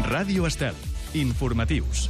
Ràdio Estel. Informatius.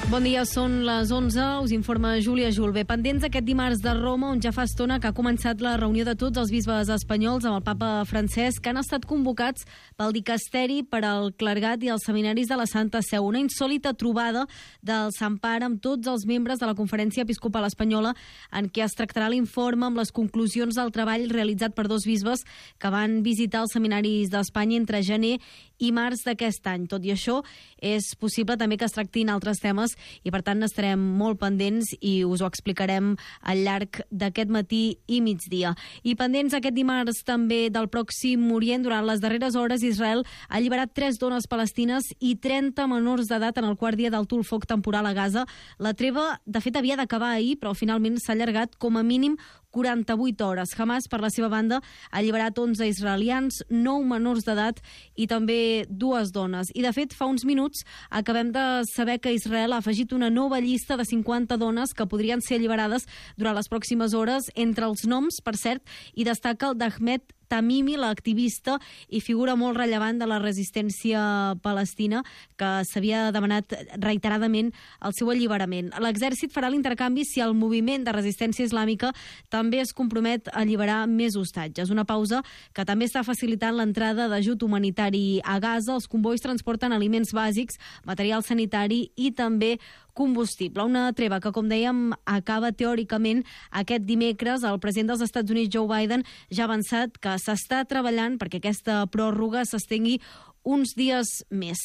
Bon dia, són les 11, us informa Júlia Julve. Pendents aquest dimarts de Roma, on ja fa estona que ha començat la reunió de tots els bisbes espanyols amb el papa Francesc, que han estat convocats pel dicasteri per al clergat i els seminaris de la Santa Seu. Una insòlita trobada del Sant Pare amb tots els membres de la Conferència Episcopal Espanyola, en què es tractarà l'informe amb les conclusions del treball realitzat per dos bisbes que van visitar els seminaris d'Espanya entre gener i març d'aquest any. Tot i això, és possible també que es tractin altres temes i per tant estarem molt pendents i us ho explicarem al llarg d'aquest matí i migdia. I pendents aquest dimarts també del Pròxim Orient, durant les darreres hores Israel ha alliberat 3 dones palestines i 30 menors d'edat en el quart dia del foc temporal a Gaza. La treva, de fet, havia d'acabar ahir, però finalment s'ha allargat com a mínim 48 hores. Hamas, per la seva banda, ha alliberat 11 israelians, 9 menors d'edat i també 2 dones. I, de fet, fa uns minuts acabem de saber que Israel ha afegit una nova llista de 50 dones que podrien ser alliberades durant les pròximes hores. Entre els noms, per cert, hi destaca el d'Ahmed Tamimi, l'activista i figura molt rellevant de la resistència palestina, que s'havia demanat reiteradament el seu alliberament. L'exèrcit farà l'intercanvi si el moviment de resistència islàmica també es compromet a alliberar més hostatges. Una pausa que també està facilitant l'entrada d'ajut humanitari a Gaza. Els convois transporten aliments bàsics, material sanitari i també combustible. Una treva que, com dèiem, acaba teòricament aquest dimecres. El president dels Estats Units, Joe Biden, ja ha avançat que s'està treballant perquè aquesta pròrroga s'estengui uns dies més.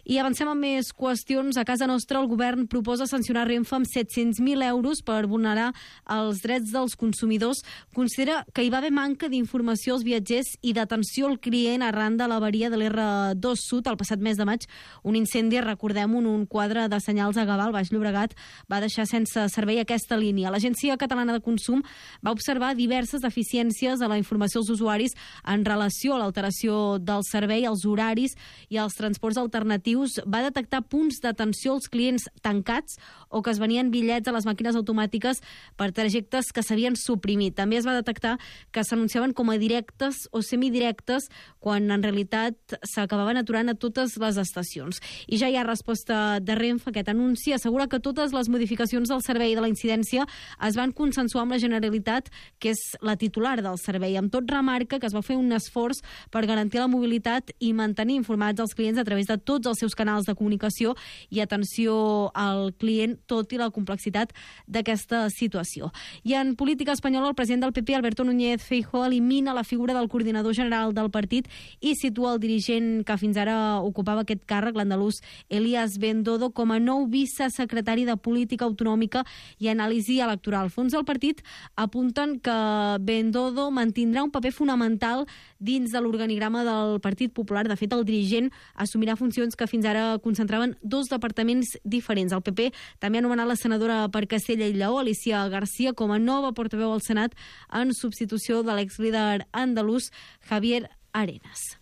I avancem amb més qüestions. A casa nostra, el govern proposa sancionar Renfe amb 700.000 euros per vulnerar els drets dels consumidors. Considera que hi va haver manca d'informació als viatgers i d'atenció al client arran de l'avaria de l'R2 Sud el passat mes de maig. Un incendi, recordem-ho, un quadre de senyals a Gavà, al Baix Llobregat, va deixar sense servei aquesta línia. L'Agència Catalana de Consum va observar diverses deficiències a la informació als usuaris en relació a l'alteració del servei, als horaris i als transports alternatius. Va detectar punts d'atenció als clients tancats o que es venien bitllets a les màquines automàtiques per trajectes que s'havien suprimit. També es va detectar que s'anunciaven com a directes o semidirectes quan en realitat s'acabaven aturant a totes les estacions. I ja hi ha resposta de Renfe. Aquest anunci assegura que totes les modificacions del servei de la incidència es van consensuar amb la Generalitat, que és la titular del servei. Amb tot, remarca que es va fer un esforç per garantir la mobilitat i mantenir informats els clients a través de tots els seus canals de comunicació i atenció al client, tot i la complexitat d'aquesta situació. I en política espanyola, el president del PP, Alberto Núñez Feijóo, elimina la figura del coordinador general del partit i situa el dirigent que fins ara ocupava aquest càrrec, l'andalús Elías Bendodo, com a nou vicesecretari de Política Autonòmica i Anàlisi Electoral. Fons del partit apunten que Bendodo mantindrà un paper fonamental dins de l'organigrama del Partit Popular. De fet, el dirigent assumirà funcions que fins ara concentraven 2 departaments diferents. El PP també ha anomenat la senadora per Castella i Lleó, Alicia García, com a nova portaveu al Senat en substitució de l'exlíder andalús Javier Arenas.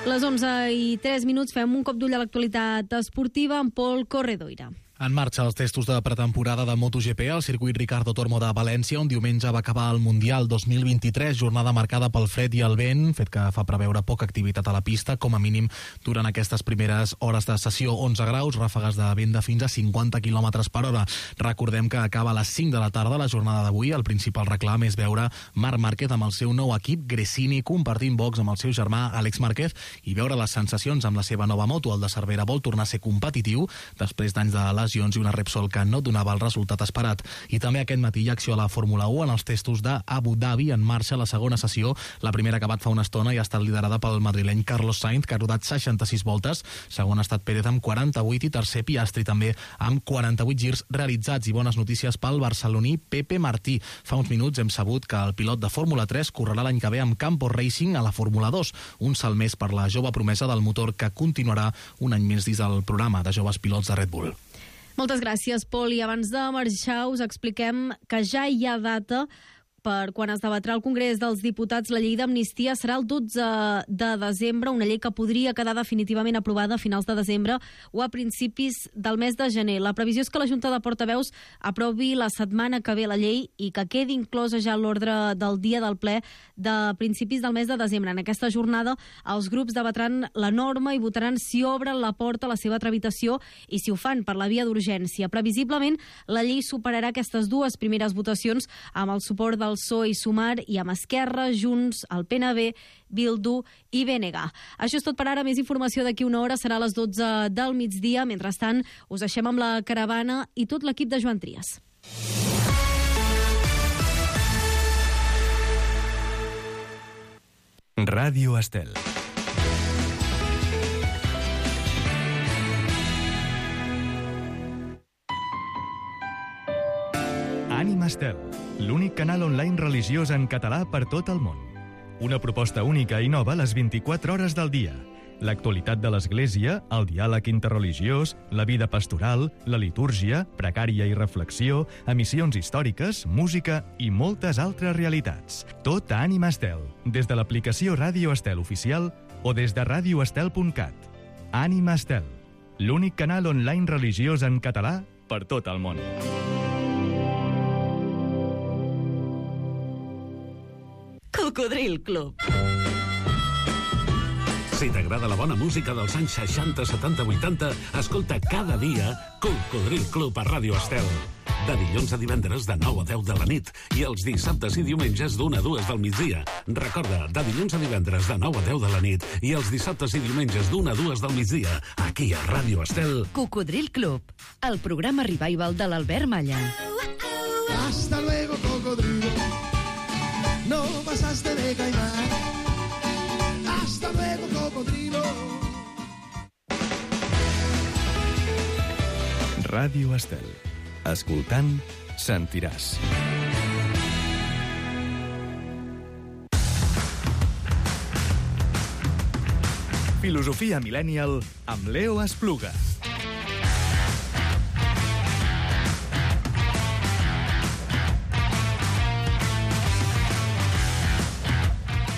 Les 11:03 fem un cop d'ull a l'actualitat esportiva amb Pol Corredoira. En marxa els testos de pretemporada de MotoGP al circuit Ricardo Tormo de València, on diumenge va acabar el Mundial 2023, jornada marcada pel fred i el vent, fet que fa preveure poca activitat a la pista, com a mínim durant aquestes primeres hores de sessió. 11 graus, ràfegues de vent de fins a 50 km per hora. Recordem que acaba a les 5 de la tarda la jornada d'avui. El principal reclam és veure Marc Márquez amb el seu nou equip Gresini compartint box amb el seu germà Àlex Márquez i veure les sensacions amb la seva nova moto. El de Cervera vol tornar a ser competitiu després d'anys de lesions i una Repsol que no donava el resultat esperat. I també aquest matí hi ha acció a la Fórmula 1 en els testos d'Abu Dhabi. En marxa la segona sessió. La primera ha acabat fa una estona i ha estat liderada pel madrileny Carlos Sainz, que ha rodat 66 voltes. Segon ha estat Pérez amb 48 i tercer Piastri també amb 48 girs realitzats. I bones notícies pel barceloní Pepe Martí. Fa uns minuts hem sabut que el pilot de Fórmula 3 correrà l'any que ve amb Campos Racing a la Fórmula 2. Un salt més per la jove promesa del motor que continuarà un any més dins del programa de joves pilots de Red Bull. Moltes gràcies, Pol. I abans de marxar us expliquem que ja hi ha data per quan es debatrà al Congrés dels Diputats la llei d'amnistia serà el 12 de desembre, una llei que podria quedar definitivament aprovada a finals de desembre o a principis del mes de gener. La previsió és que la Junta de Portaveus aprovi la setmana que ve la llei i que quedi inclosa ja a l'ordre del dia del ple de principis del mes de desembre. En aquesta jornada els grups debatran la norma i votaran si obren la porta a la seva tramitació i si ho fan per la via d'urgència. Previsiblement, la llei superarà aquestes dues primeres votacions amb el suport del PSOE i Sumar i amb Esquerra, Junts, el PNB, Bildu i BNG. Això és tot per ara. Més informació d'aquí una hora, serà a les 12 del migdia. Mentrestant, us deixem amb la caravana i tot l'equip de Joan Trias. Ràdio Estel. Ànima Estel, l'únic canal online religiós en català per tot el món. Una proposta única i nova a les 24 hores del dia. L'actualitat de l'Església, el diàleg interreligiós, la vida pastoral, la litúrgia, precària i reflexió, emissions històriques, música i moltes altres realitats. Tot a Ànima Estel, des de l'aplicació Ràdio Estel oficial o des de radioestel.cat. Ànima Estel, l'únic canal online religiós en català per tot el món. Cocodril Club. Si t'agrada la bona música dels anys 60, 70, 80, escolta cada dia Cocodril Club a Ràdio Estel. De dilluns a divendres de 9 a 10 de la nit i els dissabtes i diumenges d'1 a 2 del migdia. Recorda, de dilluns a divendres de 9 a 10 de la nit i els dissabtes i diumenges d'1 a 2 del migdia, aquí a Ràdio Estel. Cocodril Club, el programa revival de l'Albert Malla. Hasta luego, cocodrilo. No pasaste de caimán. Hasta luego, cocodrilo. Ràdio Estel. Escoltant, sentiràs. Filosofia Millennial amb Leo Espluga.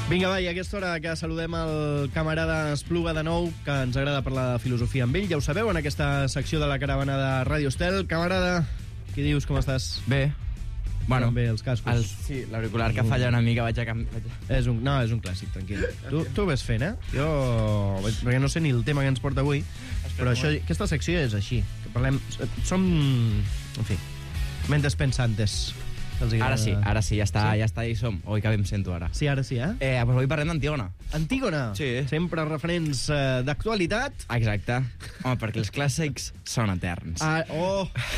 Vinga, va, i a aquesta hora que saludem el camarada Espluga de nou, que ens agrada parlar de filosofia amb ell. Ja ho sabeu, en aquesta secció de la caravana de Ràdio Estel. Camarada, què dius, com estàs? Bé. Bueno, bé, els cascos. Sí, l'auricular que falla una mica, vaig a canviar. És un clàssic, tranquil. Tu ves fent, Jo... Perquè no sé ni el tema que ens porta avui, però aquesta secció és així. Que parlem... Som... En fi, mentes pensantes. Ara sí, ja està, hi som. Oi, que bé em sento ara. Sí, ara sí, Pues avui parlem d'Antígona. Antígona? Sí. Sempre referents d'actualitat. Exacte. Home, perquè els clàssics són eterns.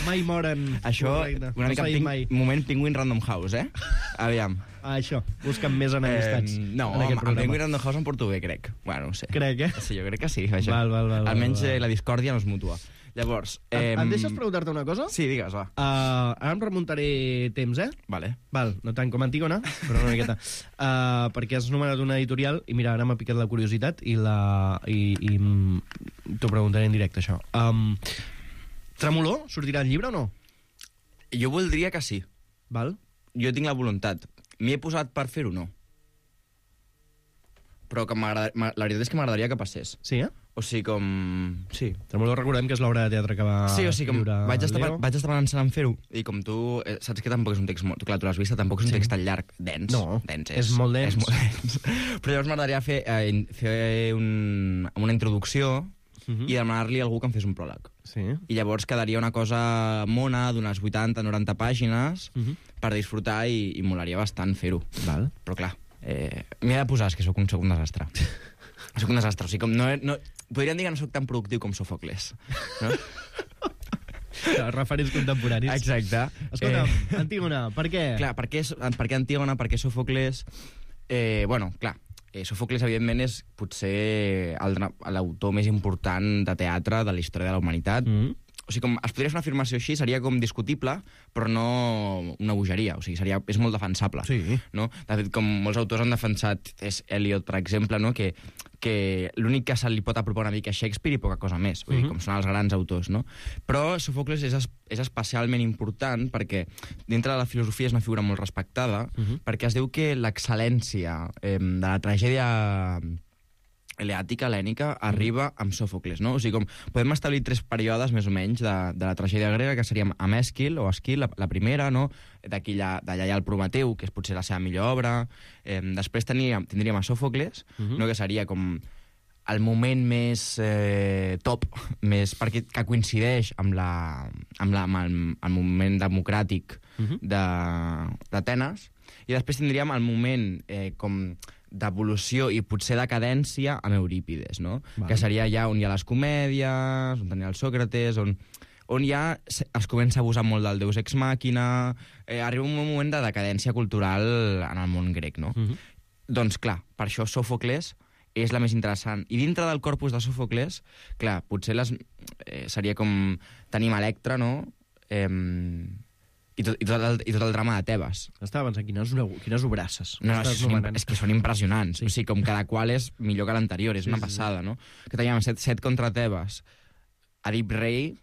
Mai moren. Això, correcte. una mica moment Penguin Random House, Aviam. Això, busquen més enemistats. No, home, el Penguin Random House em porto bé, crec. Bueno, no sé. Crec, Sí, jo crec que sí, vaja. Val. Almenys la discòrdia no és mútua. Llavors... Em deixes preguntar-te una cosa? Sí, digues, va. Ara em remuntaré temps, Vale. Val, no tant com Antígona, però una miqueta. Perquè has numerat una editorial, i mira, ara m'ha picat la curiositat, i t'ho preguntaré en directe, això. Tremolor, sortirà el llibre o no? Jo voldria que sí. Val. Jo tinc la voluntat. M'hi he posat per fer-ho, no. Però que la veritat és que m'agradaria que passés. Sí, O sigui, com... Sí. Tremolor, recordem que és l'obra de teatre que va sí, o sigui, com vaig estar pensant en fer-ho, i com tu saps que tampoc és un text molt... Clar, tu l'has vist, tampoc és un text tan llarg, dens. No, dens és molt dens. És molt dens. Però llavors m'agradaria fer una introducció i demanar-li a algú que em fes un pròleg. Sí. I llavors quedaria una cosa mona d'unes 80-90 pàgines per disfrutar i molaria bastant fer-ho. Val. Però clar, m'hi he de posar, és que soc un desastre. Soc un desastre, o sigui, com podríem dir que no soc tan productiu com Sòfocles, no? Referents contemporanis. Exacte. Escolta, Antígona, per què? Clar, per què Antígona, per què Sòfocles? Sòfocles, evidentment, és potser l'autor més important de teatre de la història de la humanitat. O sigui, com es podria fer una afirmació així, seria com discutible, però no una bogeria. O sigui, és molt defensable. Sí. No? De fet, com molts autors han defensat, és Eliot, per exemple, no? que l'únic que se li pot apropar una mica a Shakespeare i poca cosa més, vull dir, com són els grans autors, no? Però Sòfocles és especialment important perquè dintre de la filosofia és una figura molt respectada, perquè es diu que l'excel·lència de la tragèdia eleàtica, hel·lènica, arriba amb Sòfocles, no? O sigui, com podem establir 3 períodes, més o menys, de la tragèdia grega, que seríem amb Èsquil, o Esquil, la primera, no? D'allà hi ha el Prometeu, que és potser la seva millor obra. Després tindríem a Sòfocles, no? Que seria com el moment més top, que coincideix amb el moment democràtic d'Atenes, i després tindríem el moment com d'evolució i potser decadència amb Eurípides, no? Que seria ja on hi ha les comèdies, on tenia el Sòcrates, on ja es comença a abusar molt del Deus Ex Machina, arriba un moment de decadència cultural en el món grec, no? Doncs clar, per això Sòfocles és la més interessant. I dintre del corpus de Sòfocles, clar, potser seria com tenim Electra, no? I tot el drama de Tebes. Estava pensant, quines obrasses. No, és que són impressionants. Sí. O sigui, com cada qual és millor que l'anterior, és una passada, no? Que teníem set contra Tebes, Edip Rei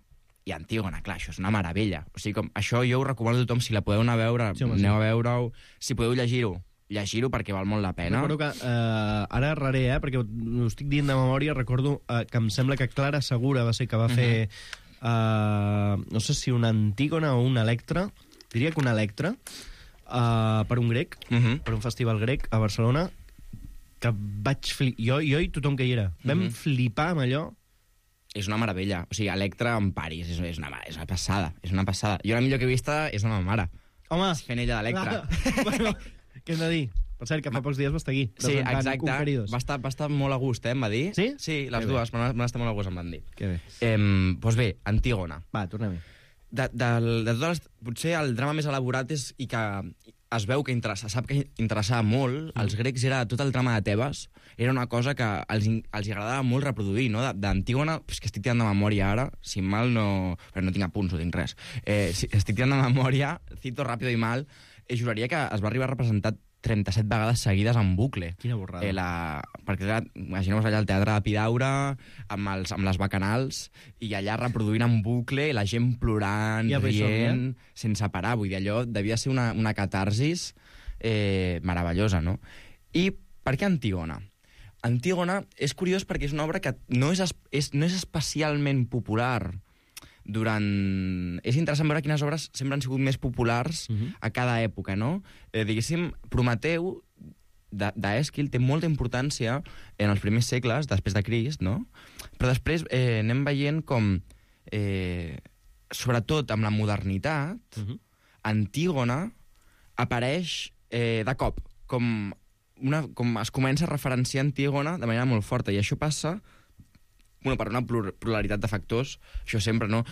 i Antígona. Clar, això és una meravella. O sigui, com, això jo ho recomano a tothom, si la podeu anar a veure, aneu a veure-ho. Si podeu llegir-ho perquè val molt la pena. Recordo que, ara erraré, perquè ho estic dient de memòria, recordo que em sembla que Clara Segura va ser que va fer... no sé si una Antígona o una Electra, diria que una Electra, per un grec, per un festival grec a Barcelona, que vaig jo i tothom que hi era. Vam flipar amb allò. És una meravella. O sigui, Electra en París, és una passada. És una passada. Jo la millor que he vista és la meva mare. Home! Fent ella d'Electra. Bueno, què hem de dir? Per cert, que fa pocs dies va estar aquí. Sí, exacte. Va estar molt a gust, em va dir. Sí? Sí, les dues, van estar molt a gust, em van dir. Que bé. Doncs bé, Antígona. Va, tornem-hi. De totes potser el drama més elaborat i que es veu que sap que interessava molt als grecs era tot el drama de Tebes. Era una cosa que els agradava molt reproduir, no? D'Antígona, que estic tirant de memòria ara, si mal no... Però no tinc apunts, no tinc res. Estic tirant de memòria, cito ràpido i mal, juraria que es va arribar a representar 37 vegades seguides en bucle. Quina borrada. Perquè, clar, imagineu-vos allà al Teatre d'Epidaure, amb les bacanals, i allà reproduint en bucle, i la gent plorant, rient, sense parar. Vull dir, allò devia ser una catarsis meravellosa, no? I per què Antígona? Antígona és curiós perquè és una obra que no és especialment popular És interessant veure quines obres sempre han sigut més populars a cada època, no? Diguéssim, Prometeu d'Èsquil té molta importància en els primers segles, després de Crist, no? Però després anem veient com, sobretot amb la modernitat, Antígona apareix de cop, com es comença a referenciar Antígona de manera molt forta, i això passa per una pluralitat de factors, això sempre, no?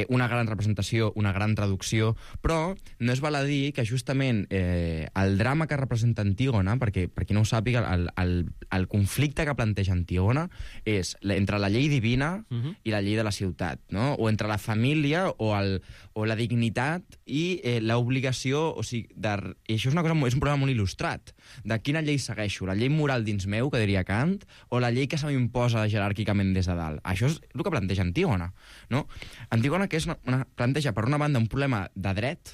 Una gran representació, una gran traducció, però no es val a dir que justament el drama que representa Antígona, perquè per qui no ho sàpiga, el conflicte que planteja Antígona és entre la llei divina i la llei de la ciutat, no? O entre la família o la dignitat i l'obligació, o sigui, i això és un problema molt il·lustrat, de quina llei segueixo, la llei moral dins meu, que diria Kant, o la llei que se m'imposa jeràrquicament des de dalt. Això és el que planteja Antígona, no? Antígona que planteja, per una banda, un problema de dret.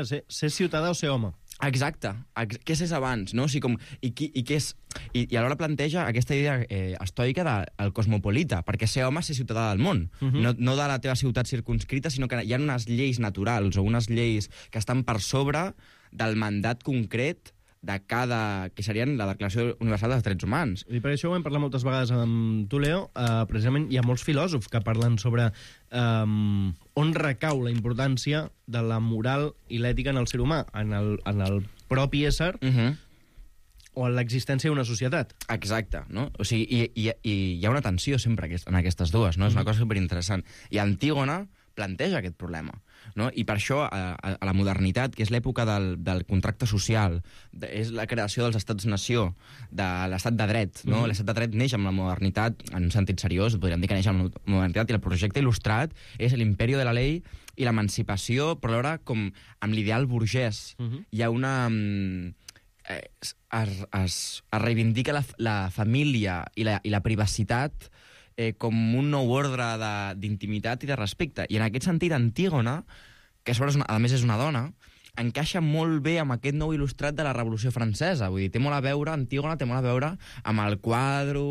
Ser ciutadà o ser home. Exacte. Què és abans, no? O sigui, I alhora planteja aquesta idea estoica del cosmopolita, perquè ser home és ser ciutadà del món, no de la teva ciutat circunscrita, sinó que hi ha unes lleis naturals o unes lleis que estan per sobre del mandat concret que serien la Declaració Universal dels Drets Humans. I per això ho hem parlat moltes vegades amb tu, Leo. Precisament hi ha molts filòsofs que parlen sobre on recau la importància de la moral i l'ètica en el ser humà, en el propi ésser o en l'existència d'una societat. Exacte, no? O sigui, i hi ha una tensió sempre en aquestes dues, no? És una cosa superinteressant. I Antígona planteja aquest problema, no? I per això, a la modernitat, que és l'època del contracte social, és la creació dels estats-nació, de l'estat de dret, no? L'estat de dret neix amb la modernitat, en un sentit seriós, podríem dir que neix amb la modernitat, i el projecte il·lustrat és l'imperio de la ley i l'emancipació, però alhora com amb l'ideal burgès. Hi ha una... es reivindica la família i la privacitat com un nou ordre d'intimitat i de respecte. I en aquest sentit, Antígona, que a més és una dona, encaixa molt bé amb aquest nou il·lustrat de la Revolució Francesa. Vull dir, té molt a veure, Antígona té molt a veure amb el quadre,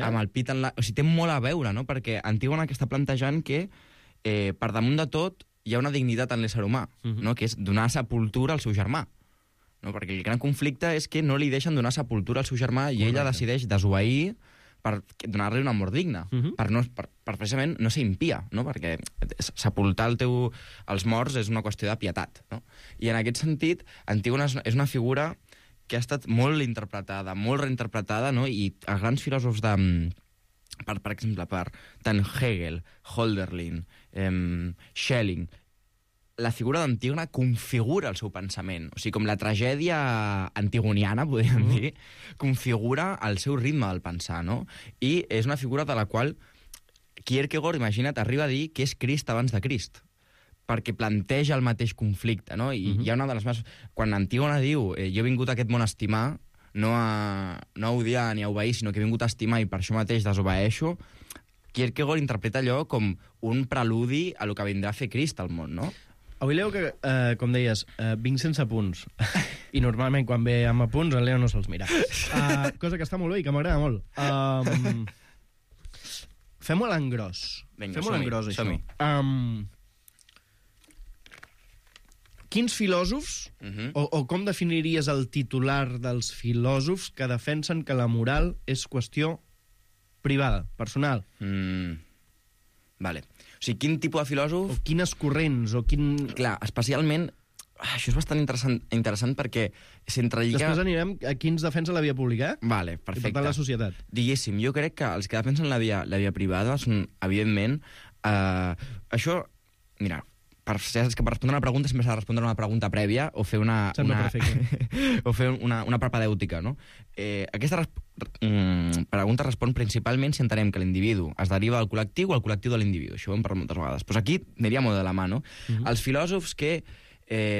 amb el pit en la... O sigui, té molt a veure, no? Perquè Antígona que està plantejant que, per damunt de tot, hi ha una dignitat en l'ésser humà, no? Que és donar sepultura al seu germà. No? Perquè el gran conflicte és que no li deixen donar sepultura al seu germà i ella decideix desobeir per donar-li una mort digna, per precisament no ser impia, no? Perquè sepultar els morts és una qüestió de pietat. No? I en aquest sentit, Antígona és una figura que ha estat molt interpretada, molt reinterpretada, no? I els grans filòsofs per exemple, per tant Hegel, Hölderlin, Schelling, la figura d'Antígona configura el seu pensament. O sigui, com la tragèdia antigoniana, podríem dir, configura el seu ritme del pensar, no? I és una figura de la qual Kierkegaard, imagina't, arriba a dir que és Crist abans de Crist, perquè planteja el mateix conflicte, no? I hi ha una de les més... Quan Antígona diu jo he vingut a aquest món a estimar, no a odiar ni a obeir, sinó que he vingut a estimar i per això mateix desobeeixo, Kierkegaard interpreta allò com un preludi a lo que vindrà a fer Crist al món, no? Avui Leo, que, com deies, vinc sense apunts. I normalment quan ve amb apunts el Leo no se'ls mira. Cosa que està molt bé i que m'agrada molt. Fem-ho a l'engròs. Vinga, fem-ho a l'engròs, això. Quins filòsofs, o com definiries el titular dels filòsofs que defensen que la moral és qüestió privada, personal? Vale. O sigui, quin tipus de filòsof... O quines corrents, o quin... Clar, especialment... Això és bastant interessant perquè s'entrelliga... Després anirem a quins defensa la via pública, Vale, perfecte. I per tant la societat. Diguéssim, jo crec que els que defensen la via privada són, evidentment... això, mira, per respondre una pregunta sempre s'ha de respondre una pregunta prèvia o fer una propedèutica, no? Aquesta pregunta respon principalment si entenem que l'individu es deriva del col·lectiu o el col·lectiu de l'individu. Això ho hem parlat moltes vegades. Pues aquí aniria molt de la mà, no? Els filòsofs que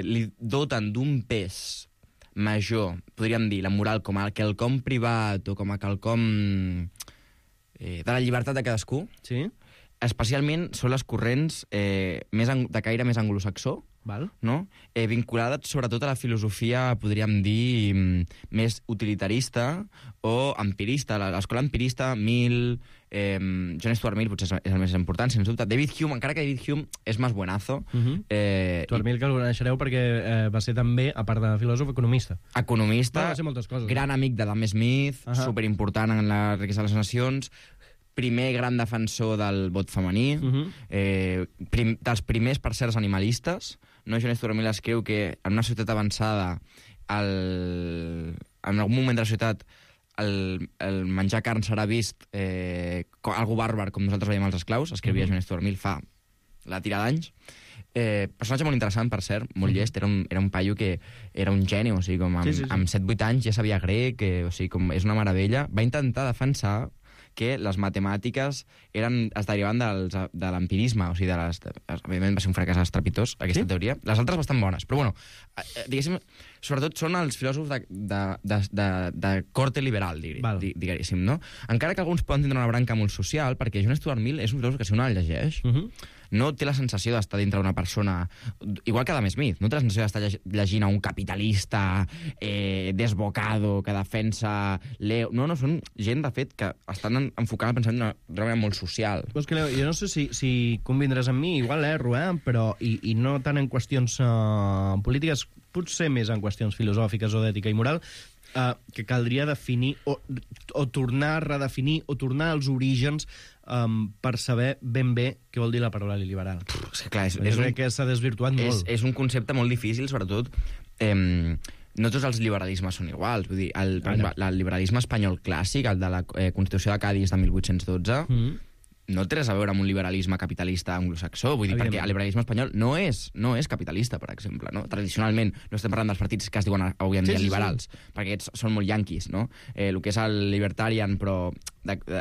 li doten d'un pes major, podríem dir, la moral com a quelcom privat o com a quelcom de la llibertat de cadascú, sí, especialment són les corrents de caire més anglosaxó, no? Vinculades sobretot a la filosofia, podríem dir, més utilitarista o empirista. L'escola empirista, Mill, John Stuart Mill potser és el més important, sens dubte. David Hume, encara que David Hume és més buenazo. Stuart Mill, que el coneixereu perquè va ser també, a part de filòsof, economista. Economista, va ser moltes coses, gran amic d'Adam Smith, superimportant en la riquesa de les nacions, primer gran defensor del vot femení, dels primers, per ser, animalistes. No? John Stuart Mill escriu que en una societat avançada, en algun moment de la societat, el menjar carn serà vist algo bàrbar, com nosaltres veiem els esclaus. Escrivia John Stuart Mill fa la tira d'anys. Personatge molt interessant, per cert, molt llest. Era un paio que era un geni, o sigui, com amb 7-8 anys ja sabia grec, o sigui, com és una meravella. Va intentar defensar que les matemàtiques es derivaven de l'empirisme, o sigui, evidentment va ser un fracàs estrepitós, aquesta teoria. Les altres bastant bones, però bueno, diguéssim, sobretot són els filòsofs de corte liberal, diguéssim, no? Encara que alguns poden tindre una branca molt social, perquè John Stuart Mill és un filòsof que si un el llegeix, no té la sensació d'estar dintre d'una persona, igual que Adam Smith, no té la sensació d'estar llegint a un capitalista desbocado, que defensa Leo. No, són gent, de fet, que estan enfocant el pensament d'una manera molt social. Pues que, Leo, jo no sé si convindràs amb mi, igual erro, però i no tant en qüestions polítiques, potser més en qüestions filosòfiques o d'ètica i moral, que caldria definir o tornar a redefinir o tornar als orígens per saber ben bé què vol dir la paraula liberal. És que, clar, que s'ha desvirtuat molt. És un concepte molt difícil, sobretot no tots els liberalismes són iguals. Vull dir, el liberalisme espanyol clàssic, el de la Constitució de Cadis de 1812, no té res a veure amb un liberalisme capitalista anglosaxó, vull dir, perquè el liberalisme espanyol no és capitalista, per exemple, no? Tradicionalment no estem parlant dels partits que es diuen avui en dia liberals, perquè aquests són molt yanquis, no? El que és el libertarian, però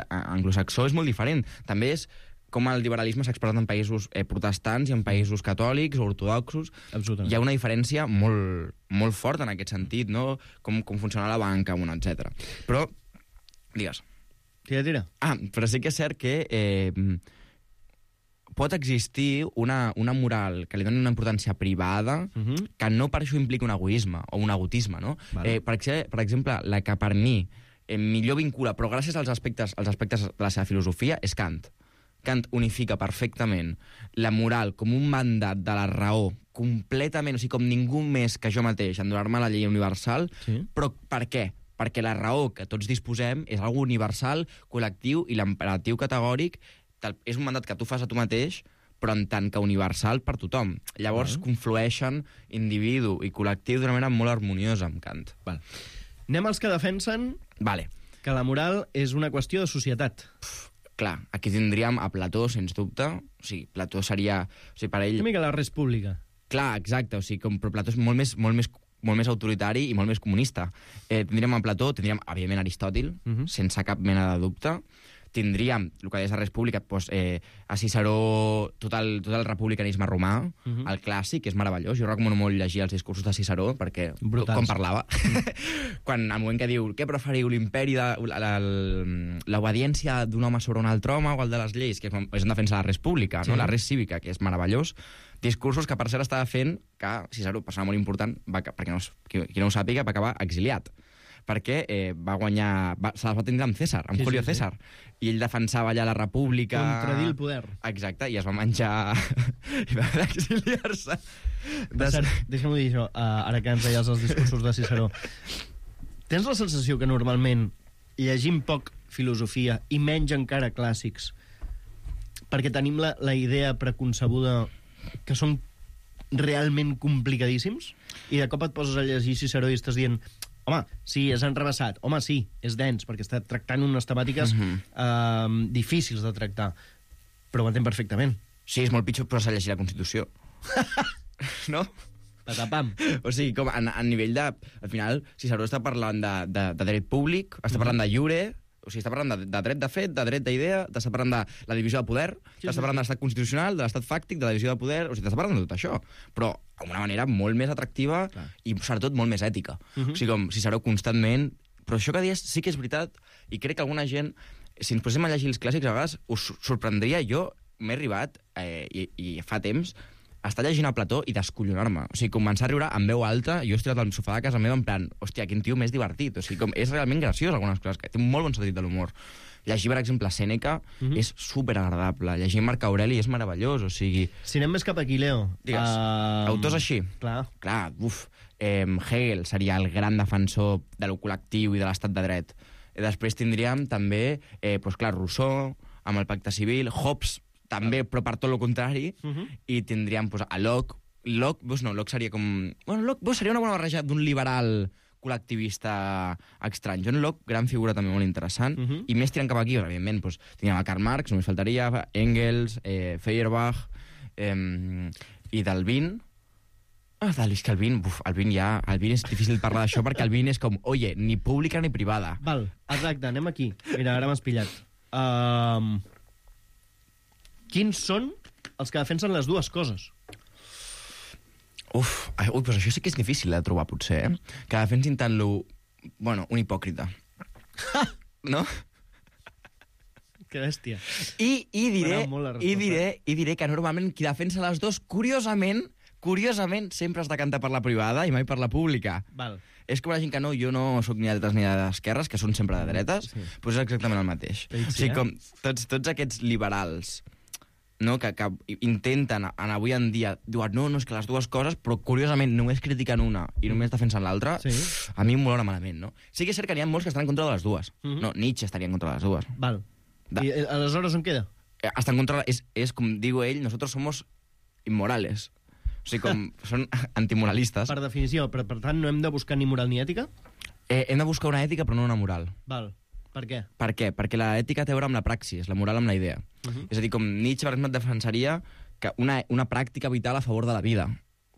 anglosaxó és molt diferent. També és com el liberalisme s'ha expressat en països protestants i en països catòlics o ortodoxos. Hi ha una diferència molt, molt forta en aquest sentit, no? Com funciona la banca, etc. Però, digues. Tira. Però sí que és cert que pot existir una moral que li doni una importància privada que no per això implica un egoisme o un egotisme, no? Vale. Per exemple, la que per mi millor vincula, però gràcies als aspectes de la seva filosofia, és Kant. Kant unifica perfectament la moral com un mandat de la raó completament, o sigui, com ningú més que jo mateix, en donar-me la llei universal, però per què? Perquè la raó que tots disposem és algo universal, col·lectiu, i l'imperatiu categòric és un mandat que tu fas a tu mateix, però en tant que universal per tothom. Llavors conflueixen individu i col·lectiu d'una manera molt harmoniosa amb Kant. Anem als que defensen que la moral és una qüestió de societat. Clar, aquí tindríem a Plató, sens dubte. O sigui, Plató seria... O sigui, per ell... Una mica la res pública. Clar, exacte. O sigui, però Plató és molt més autoritari i molt més comunista. Tindríem a Plató, tindríem, evidentment, Aristòtil, sense cap mena de dubte. Tindríem, el que deies a República, a Ciceró, tot el republicanisme romà, el clàssic, que és meravellós. Jo recomano molt llegir els discursos de Ciceró, perquè com parlava. Quan al moment que diu, què preferiu, l'imperi, l'obediència d'un home sobre un altre home o el de les lleis, que és en defensa de la res pública, no? La res cívica, que és meravellós. Discursos que, per cert, estava fent que Ciceró, persona molt important, perquè qui no ho sàpiga, va acabar exiliat. Perquè va guanyar... Se les va tindre amb César, amb Julio César. I ell defensava allà la república... Contradir el poder. Exacte, i es va menjar... i va haver d'exiliar-se. Deixa'm dir això, ara que ens deies els discursos de Ciceró. Tens la sensació que normalment llegim poc filosofia i menys encara clàssics perquè tenim la idea preconcebuda que són realment complicadíssims? I de cop et poses a llegir Ciceró i estàs dient... Home, sí, és enrevessat. Home, sí, és dens, perquè està tractant unes temàtiques difícils de tractar. Però ho entenc perfectament. Sí, és molt pitjor, però s'ha llegit la Constitució. No? Patapam. O sigui, com a nivell de... Al final, Ciceró està parlant de dret públic, està parlant de lliure... O sigui, està parlant de dret de fet, de dret d'idea, està parlant de la divisió de poder, està parlant de l'estat constitucional, de l'estat fàctic, de la divisió de poder... O sigui, està parlant de tot això, però d'una manera molt més atractiva i, sobretot, molt més ètica. O sigui, com Ciceró constantment... Però això que dius sí que és veritat, i crec que alguna gent, si ens posem a llegir els clàssics, a vegades us sorprendria. Jo m'he arribat, i fa temps, a estar llegint a Plató i descollonar-me. O sigui, començar a riure amb veu alta, jo he estirat al sofà de casa meva en plan, hòstia, quin tio més divertit. O sigui, com és realment graciós algunes coses, que té un molt bon sentit de l'humor. Llegir, per exemple, Sèneca és superagradable. Llegir Marc Aureli és meravellós, o sigui... Si anem més cap aquí, Leo... Digues, autors així. Clar, Hegel seria el gran defensor de lo col·lectiu i de l'estat de dret. Després tindríem també, clar, Rousseau, amb el Pacte Civil, Hobbes, també, però per tot el contrari, i tindríem a Locke. Locke seria com... Locke seria una bona barreja d'un liberal col·lectivista estrany. John Locke, gran figura també molt interessant, i més tirant cap aquí, evidentment, tindríem a Karl Marx, només faltaria, Engels, Feuerbach, i d'Alvin. És que Alvin és difícil parlar d'això, perquè Alvin és com, oye, ni pública ni privada. Val, exacte, anem aquí. Mira, ara m'has pillat. Quins són els que defensen les dues coses? Doncs això sí que és difícil de trobar, potser, que defensin tant un hipòcrita. No? Que bèstia. I diré que normalment qui defensa les dues, curiosament, sempre es decanta per la privada i mai per la pública. Val. És com la gent que jo no soc ni de dretes ni d'esquerres, que són sempre de dretes, doncs és exactament el mateix. O sigui, com tots aquests liberals, no, que intenten, avui en dia, diuen, no, és que les dues coses, però curiosament només critiquen una i només defensen l'altra, a mi em molora malament, no? Sí que és cert que n'hi ha molts que estan en contra de les dues. No, Nietzsche estaria en contra de les dues. Val. I aleshores on queda? Està en contra, és com diu ell, nosotros somos inmorales. O sigui, com són antimoralistes. Per definició, per tant, no hem de buscar ni moral ni ètica? Hem de buscar una ètica, però no una moral. Val. Per què? Per què? Perquè l'ètica té a veure amb la praxis, la moral amb la idea. És a dir, com Nietzsche, per exemple, et defensaria que una pràctica vital a favor de la vida.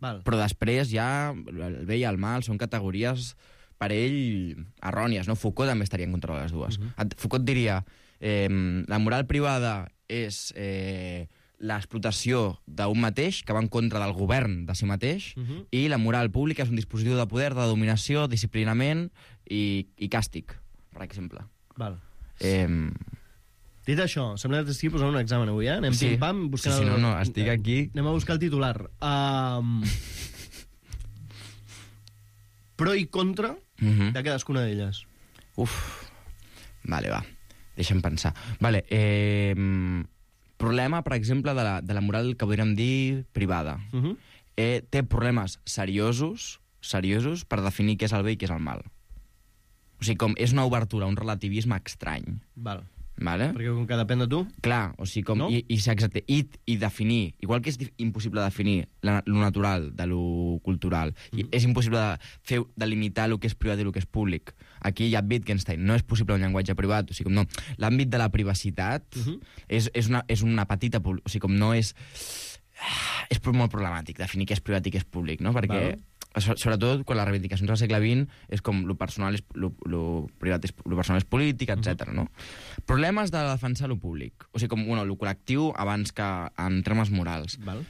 Val. Però després ja el bé i el mal són categories per ell errònies, no? Foucault també estaria en contra de les dues. Foucault diria la moral privada és l'explotació d'un mateix que va en contra del govern de si mateix i la moral pública és un dispositiu de poder, de dominació, disciplinament i càstig, per exemple. Val. Dit això, sembla que estigui posant un examen avui, eh? Anem Sí. pim-pam buscant... Sí, no, estic aquí... Anem a buscar el titular. Pro i contra de cadascuna d'elles. Vale, va. Deixa'm pensar. Vale, problema, per exemple, de la moral que podríem dir privada. Té problemes seriosos per definir què és el bé i què és el mal. O sigui, com és una obertura, un relativisme estrany. Val. Vale? Perquè com que depèn de tu... Clar, o sigui, com... No? Exacte. I definir... Igual que és impossible definir lo natural de lo cultural, i és impossible de limitar el que és privat i el que és públic. Aquí hi ha Wittgenstein. No és possible un llenguatge privat. O sigui, com no. L'àmbit de la privacitat és una petita... O sigui, com no és... És molt problemàtic definir què és privat i què és públic, no? Perquè... Sobretot quan les reivindicacions del segle XX és com lo personal és privat, lo personal és polític, etc. No? Problemes de defensar lo públic, o sigui, com lo col·lectiu abans que en termes morals. Val.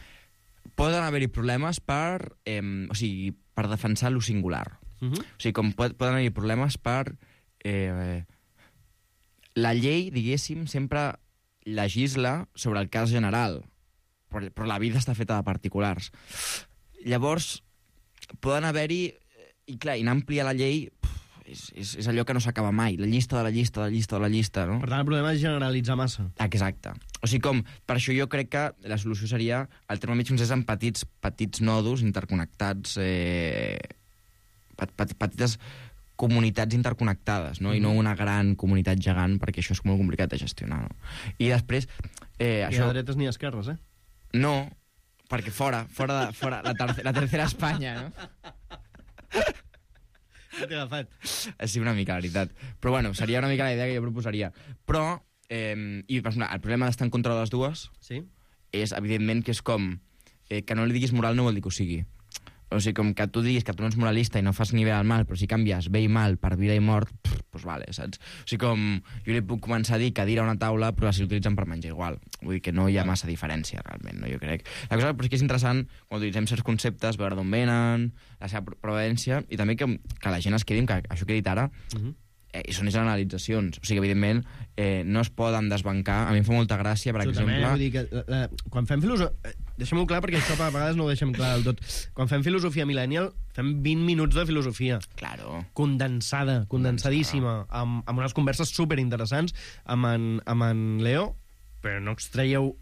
Poden haver-hi problemes per defensar lo singular. O sigui, com poden haver-hi problemes per... La llei, diguéssim, sempre legisla sobre el cas general, però la vida està feta de particulars. Llavors, poden haver-hi... I clar, i anar a ampliar la llei és allò que no s'acaba mai. La llista de la llista, de la llista, de la llista, no? Per tant, el problema és generalitzar massa. Exacte. O sigui, com... Per això jo crec que la solució seria el terme mig és en petits nodos interconnectats, petites comunitats interconnectades, no? I no una gran comunitat gegant, perquè això és molt complicat de gestionar, no? I després... Ni a dretes ni a esquerres, eh? No, perquè fora la tercera Espanya, no? T'he agafat. Sí, una mica, la veritat. Però bueno, seria una mica la idea que jo proposaria. Però, i per exemple, el problema d'estar en contra de les dues és, evidentment, que és com que no li diguis moral no vol dir que ho sigui. O sigui, com que tu diguis que tu no ets moralista i no fas ni bé al mal, però si canvies bé i mal per vida i mort, doncs vale, saps? O sigui, com jo li puc començar a dir cadira a una taula, però si l'utilitzen per menjar igual. Vull dir que no hi ha massa diferència, realment, no? Jo crec. La cosa però és que és interessant, quan utilitzem certs conceptes, veure d'on venen, la seva provenència, i també que la gent es quedi, que això que he dit ara, i són generalitzacions. O sigui, evidentment, no es poden desbancar. A mi em fa molta gràcia, per exemple... Vull dir que, quan fem filosofia... Deixem-ho clar, perquè això a vegades no ho deixem clar del tot. Quan fem filosofia millennial, fem 20 minuts de filosofia. Claro. Condensadíssima, amb unes converses superinteressants amb en Leo, però no extraieu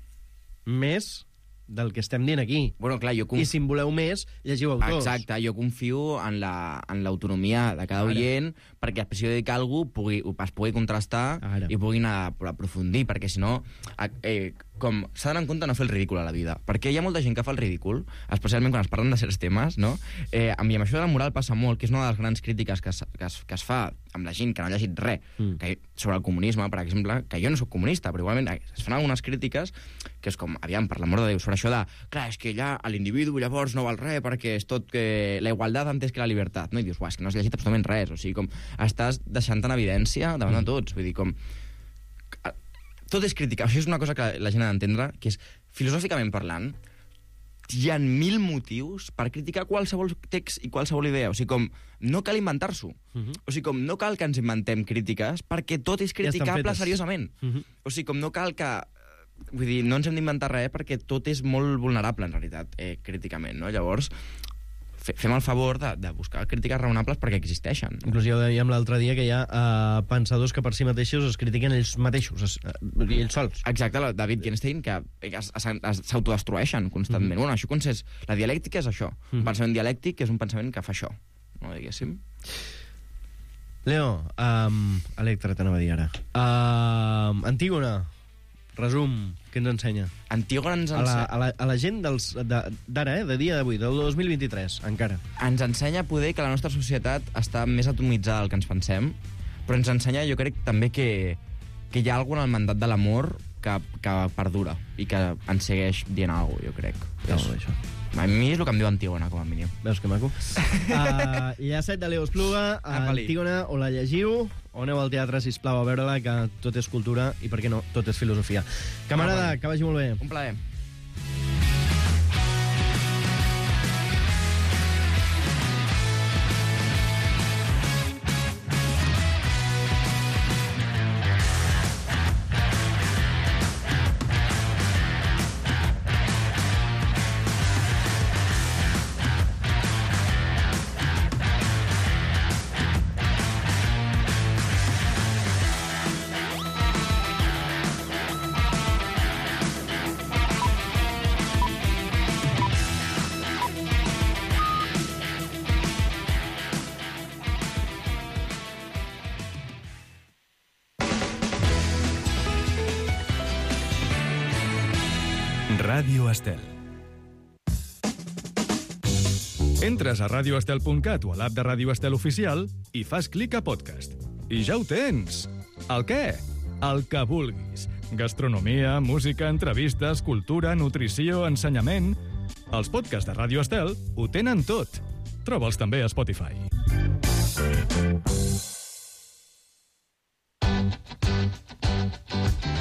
més del que estem dient aquí. Bueno, clar, I si en voleu més, llegiu autors. Exacte, jo confio en l'autonomia de cada oient, perquè si jo dic alguna cosa es pugui contrastar i pugui anar a aprofundir, perquè si no, com s'ha d'anar en compte no fer el ridícul a la vida, perquè hi ha molta gent que fa el ridícul, especialment quan es parlen de certs temes, no? I amb això de la moral passa molt, que és una de les grans crítiques que es fa amb la gent que no ha llegit res sobre el comunisme, per exemple, que jo no soc comunista, però igualment es fan algunes crítiques que és com, aviam, per l'amor de Déu, sobre això de, clar, és que ja l'individu llavors no val res perquè és tot que la igualtat antes que la llibertat, no? I dius, és que no has llegit absolutament res, o sigui, com estàs deixant en evidència davant de tots, vull dir, com... Tot és crítica, això és una cosa que la gent ha d'entendre, que és, filosòficament parlant, hi ha 1000 motius per criticar qualsevol text i qualsevol idea. O sigui, com, no cal inventar-s'ho. O sigui, com, no cal que ens inventem crítiques, perquè tot és criticable seriosament. O sigui, com, no cal que... Vull dir, no ens hem d'inventar res perquè tot és molt vulnerable, en realitat, críticament, no? Llavors, fem el favor de buscar crítiques raonables perquè existeixen. Inclús ja ho dèiem l'altre dia que hi ha pensadors que per si mateixos es critiquen ells mateixos, ells sols. Exacte, la David Wittgenstein, que s'autodestrueixen constantment. Bueno, això consist... La dialèctica és això. Un pensament dialèctic és un pensament que fa això, no diguéssim? Leo, Electra, t'anava a dir ara. Antígona, resum, què ens ensenya? Antígona ens ensenya... A la gent d'ara, de dia d'avui, del 2023, encara. Ens ensenya poder que la nostra societat està més atomitzada del que ens pensem, Però ens ensenya, jo crec, també que hi ha alguna en el mandat de l'amor que perdura i que ens segueix dient alguna cosa, jo crec. Molt bé, això. A mi és el que em diu Antígona, com a mínim. Veus que maco? Llacet de Leo Espluga, Antígona, o la llegiu, o aneu al teatre, sisplau, a veure-la, que tot és cultura i, per què no, tot és filosofia. Camarada, que vagi molt bé. Un plaer. Ràdio Estel. Entres a radioestel.cat o a l'app de Ràdio Estel Oficial i fas clic a podcast. I ja ho tens! El què? El que vulguis. Gastronomia, música, entrevistes, cultura, nutrició, ensenyament... Els podcasts de Ràdio Estel ho tenen tot. Troba'ls també a Spotify.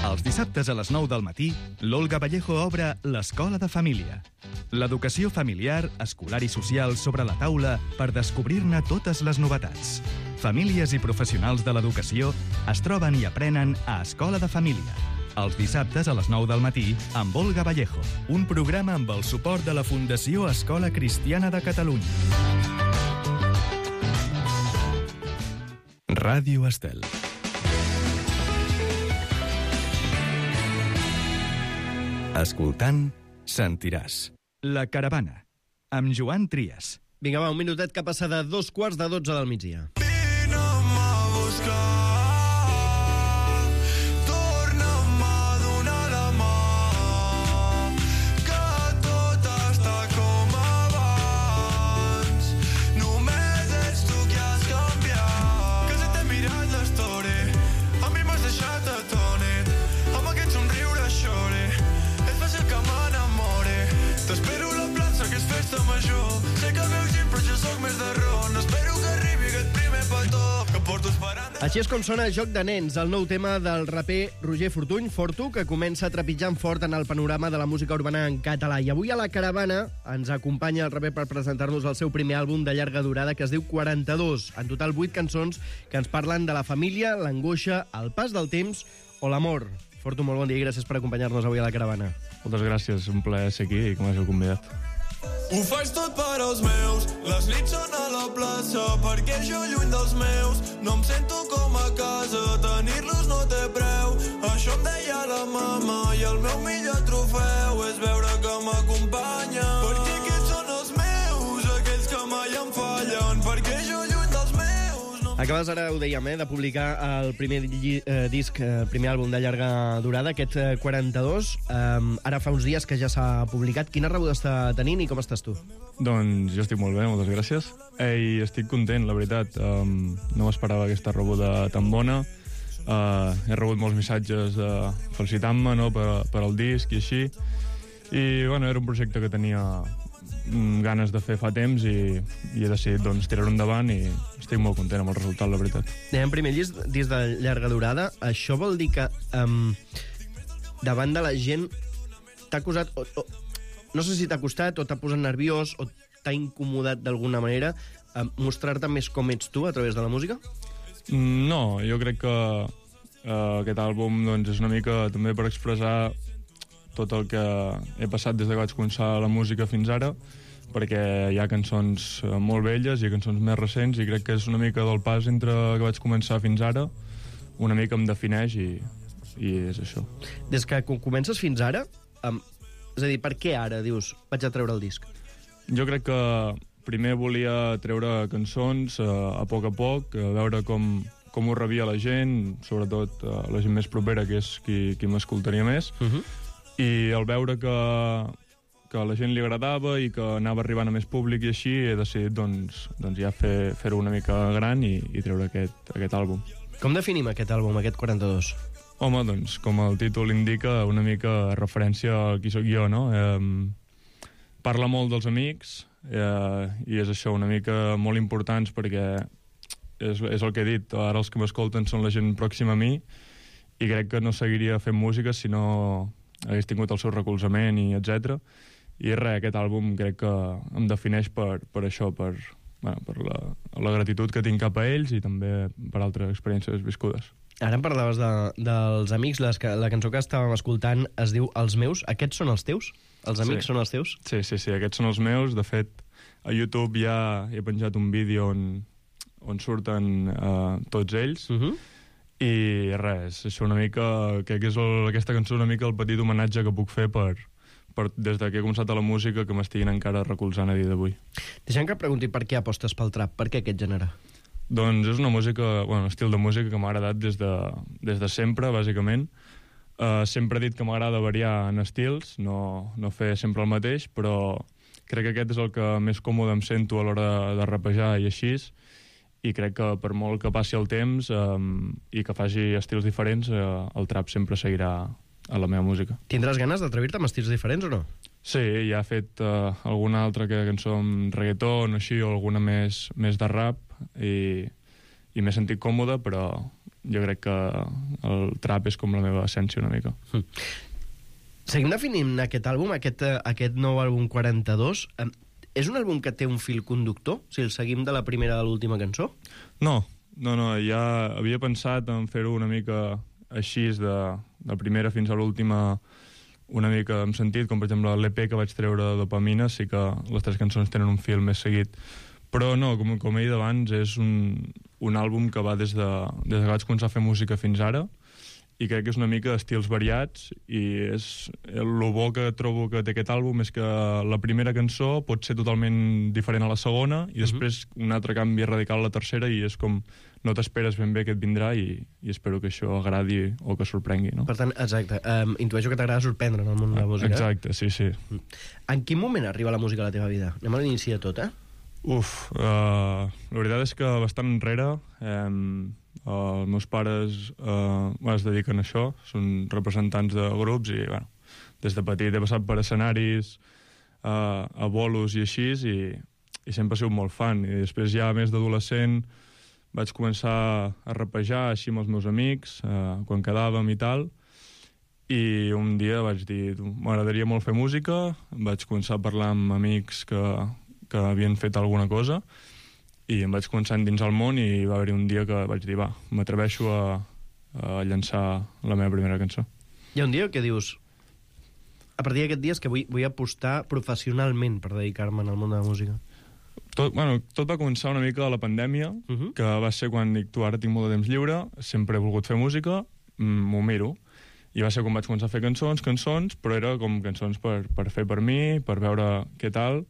Els dissabtes a les 9 del matí, l'Olga Vallejo obre l'Escola de Família. L'educació familiar, escolar i social sobre la taula per descobrir-ne totes les novetats. Famílies i professionals de l'educació es troben i aprenen a Escola de Família. Els dissabtes a les 9 del matí, amb Olga Vallejo. Un programa amb el suport de la Fundació Escola Cristiana de Catalunya. Ràdio Estel. Escoltant, sentiràs. La Caravana, amb Joan Trias. Vinga, va, un minutet que passa de 2:45 del migdia. Vine'm a buscar, torna'm a donar la mà, que tot està com abans. Només ets tu qui has canviat. Que se t'he mirat l'story, a mi m'has deixat atònit, amb aquest somriure xore. Que m'enamore. T'espero a la plaça, que és festa major. Sé que veus gent, però jo soc més de ron. Espero que arribi aquest primer petó que porto esperant. Així és com sona Joc de Nens, el nou tema del raper Roger Fortuny, Fortu, que comença trepitjant fort en el panorama de la música urbana en català. I avui a la Caravana ens acompanya el raper per presentar-nos el seu primer àlbum de llarga durada, que es diu 42. En total 8 cançons que ens parlen de la família, l'angoixa, el pas del temps o l'amor. Fortu, molt bon dia i gràcies per acompanyar-nos avui a la Caravana. Moltes gràcies, un plaer ser aquí i que m'hàgiu convidat. Ho faig tot per als meus, les nits són a la plaça, perquè jo lluny dels meus no em sento com a casa, tenir-los no té preu. Això em deia la mama i el meu millor trofeu és veure que m'acompanya. Perquè aquests són els meus, aquells que mai em fallen, perquè jo lluny dels meus... Acabes ara, ho dèiem, de publicar el primer disc, primer àlbum de llarga durada, aquest 42. Ara fa uns dies que ja s'ha publicat. Quina rebuda està tenint i com estàs tu? Doncs jo estic molt bé, moltes gràcies. I estic content, la veritat. No m'esperava aquesta rebuda tan bona. He rebut molts missatges felicitant-me, no, per al disc i així. I bueno, era un projecte que tenia ganes de fer fa temps i he decidit doncs, tirar-ho endavant i estic molt content amb el resultat, la veritat. En primer disc de llarga durada, això vol dir que davant de la gent t'ha acusat, no sé si t'ha costat o t'ha posat nerviós o t'ha incomodat d'alguna manera mostrar-te més com ets tu a través de la música? No, jo crec que aquest àlbum doncs, és una mica també per expressar tot el que he passat des que vaig començar la música fins ara, perquè hi ha cançons molt velles i cançons més recents i crec que és una mica del pas entre que vaig començar fins ara, una mica em defineix i és això. Des que comences fins ara, és a dir, per què ara, dius, vaig a treure el disc? Jo crec que primer volia treure cançons a poc, veure com ho rebia la gent, sobretot la gent més propera, que és qui m'escoltaria més, i al veure que a la gent li agradava i que anava arribant a més públic i així, he decidit doncs ja fer-ho una mica gran i treure aquest àlbum. Com definim aquest àlbum, aquest 42? Home, doncs, com el títol indica, una mica referència a qui sóc jo, no? Parla molt dels amics, i és això, una mica molt importants perquè és el que he dit, ara els que m'escolten són la gent pròxima a mi i crec que no seguiria fent música si no hagués tingut el seu recolzament i etc. I res, aquest àlbum crec que em defineix per això, per la gratitud que tinc cap a ells i també per altres experiències viscudes. Ara em parlaves dels amics, la cançó que estàvem escoltant es diu Els meus. Aquests són els teus? Els amics són els teus? Sí, aquests són els meus. De fet, a YouTube ja he penjat un vídeo on surten tots ells. I res, això una mica, crec que és aquesta cançó una mica el petit homenatge que puc fer per des que he començat a la música que m'estiguin encara recolzant a dia d'avui. Deixa'm que et pregunti per què apostes pel trap, per què aquest gènere? Doncs és una música, un estil de música que m'ha agradat des de sempre, bàsicament. Sempre he dit que m'agrada variar en estils, no fer sempre el mateix, però crec que aquest és el que més còmode em sento a l'hora de rapejar i així, i crec que per molt que passi el temps i que faci estils diferents, el trap sempre seguirà a la meva música. Tindràs ganes d'atrevir-te amb estils diferents o no? Sí, ja he fet alguna altra cançó amb reggaeton o així, o alguna més de rap, i m'he sentit còmode, però jo crec que el trap és com la meva essència una mica. Seguim definint aquest àlbum, aquest nou àlbum 42. És un àlbum que té un fil conductor, si el seguim de la primera a l'última cançó? No, ja havia pensat en fer-ho una mica així, de primera fins a l'última, una mica en sentit, com per exemple l'EP que vaig treure de Dopamina, sí que les 3 cançons tenen un fil més seguit. Però no, com he dit abans, és un àlbum que va des que vaig començar a fer música fins ara, i crec que és una mica d'estils variats, i el bo que trobo que té aquest àlbum és que la primera cançó pot ser totalment diferent a la segona, i després un altre canvi radical a la tercera, i és com no t'esperes ben bé que et vindrà, i espero que això agradi o que sorprengui, no? Per tant, exacte, intueixo que t'agrada sorprendre en el món de la música. Exacte, sí. En quin moment arriba la música a la teva vida? Anem a l'inici de tot, la veritat és que bastant enrere. Els meus pares es dediquen a això, són representants de grups, i des de petit he passat per escenaris, a bolos i així, i sempre he sigut molt fan. I després ja més d'adolescent vaig començar a rapejar així amb els meus amics, quan quedàvem i tal, i un dia vaig dir, m'agradaria molt fer música. Vaig començar a parlar amb amics que havien fet alguna cosa, i em vaig començar a endinsar al món, i va haver-hi un dia que vaig dir, m'atreveixo a llançar la meva primera cançó. Hi ha un dia que dius, a partir d'aquest dia és que vull apostar professionalment per dedicar-me al món de la música. Tot va començar una mica a la pandèmia, que va ser quan dic, ara tinc molt de temps lliure, sempre he volgut fer música, m'ho miro. I va ser quan vaig començar a fer cançons, però era com cançons per fer per mi, per veure què tal.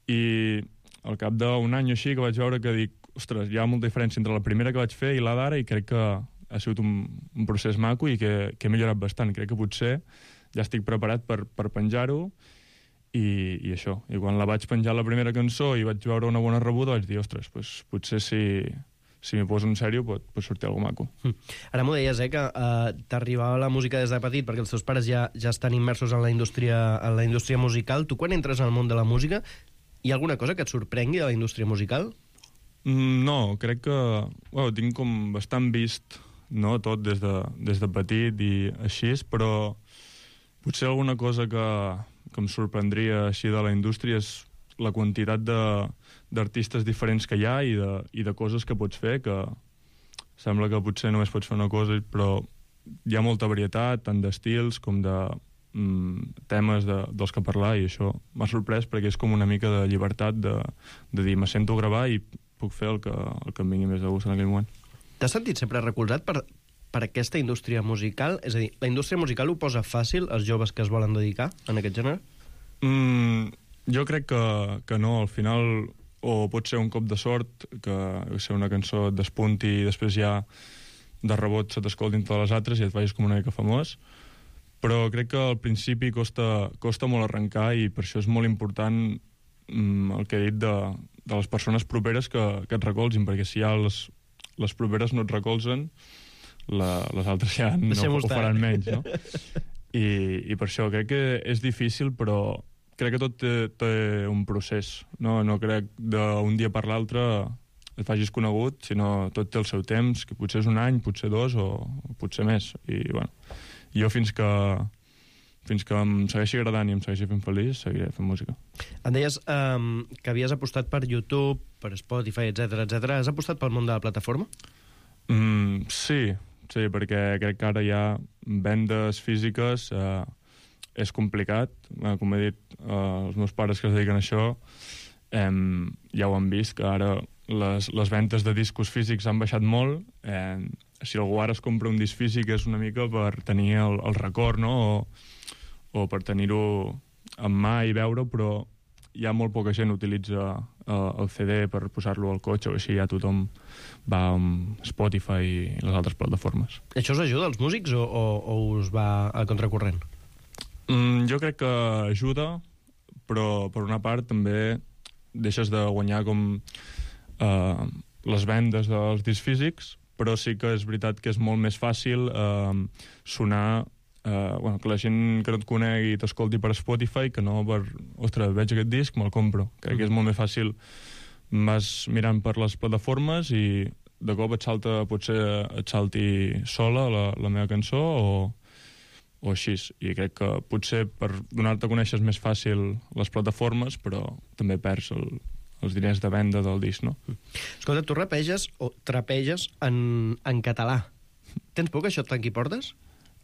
I al cap d'un any o així que vaig veure que dic, ostres, hi ha molta diferència entre la primera que vaig fer i la d'ara, i crec que ha sigut un procés maco i que he millorat bastant. Crec que potser ja estic preparat per penjar-ho, i això. I quan la vaig penjar la primera cançó i vaig veure una bona rebuda, vaig dir, ostres, potser si m'hi poso en sèrio pot sortir alguna maco. Ara m'ho deies, que t'arribava la música des de petit perquè els teus pares ja estan immersos en la indústria musical. Tu, quan entres al món de la música, hi ha alguna cosa que et sorprengui de la indústria musical? No, crec que tinc com bastant vist, no, tot des de petit i així, però potser alguna cosa que em sorprendria així de la indústria és la quantitat d'artistes diferents que hi ha i de coses que pots fer, que sembla que potser només pots fer una cosa, però hi ha molta varietat, tant d'estils com de temes dels que parlar, i això m'ha sorprès perquè és com una mica de llibertat de dir, me sento a gravar i puc fer el que em vingui més de gust en aquell moment. T'has sentit sempre recolzat per aquesta indústria musical? És a dir, la indústria musical ho posa fàcil als joves que es volen dedicar en aquest gènere? Jo crec que no. Al final, o pot ser un cop de sort, que una cançó et despunti i després ja de rebot se t'escoltin totes les altres i et vagis com una mica famós. Però crec que al principi costa molt arrencar, i per això és molt important el que he dit de les persones properes que et recolzin, perquè si hi ha les properes no et recolzen, les altres ja no ho faran menys, no? I per això crec que és difícil, però crec que tot té un procés, no crec d'un dia per l'altre et facis conegut, sinó tot té el seu temps, que potser és un any, potser 2 o potser més. I bueno, jo fins que em segueixi agradant i em segueixi fent feliç, seguiré fent música. Em deies que havies apostat per YouTube, per Spotify, etc. Has apostat pel món de la plataforma? Sí, perquè crec que ara hi ha vendes físiques, és complicat. Com he dit, els meus pares que es dediquen a això ja ho han vist, que ara les ventes de discos físics han baixat molt. Si algú ara es compra un disc físic és una mica per tenir el record, no? O per tenir-ho en mà i veure-ho, però ja molt poca gent utilitza el CD per posar-lo al cotxe o així, ja tothom va amb Spotify i les altres plataformes. Això us ajuda als músics o us va a contracorrent? Jo crec que ajuda, però per una part també deixes de guanyar com les vendes dels discs físics, però sí que és veritat que és molt més fàcil sonar, que la gent que no et conegui t'escolti per Spotify que no per, ostres, veig aquest disc, me'l compro. Crec que és molt més fàcil, vas mirant per les plataformes i de cop potser et salti sola la meva cançó o així. I crec que potser per donar-te a conèixer és més fàcil les plataformes, però també perds els diners de venda del disc, no? Escolta, tu rapeges o trapeges en català. Tens por que això et tanqui portes?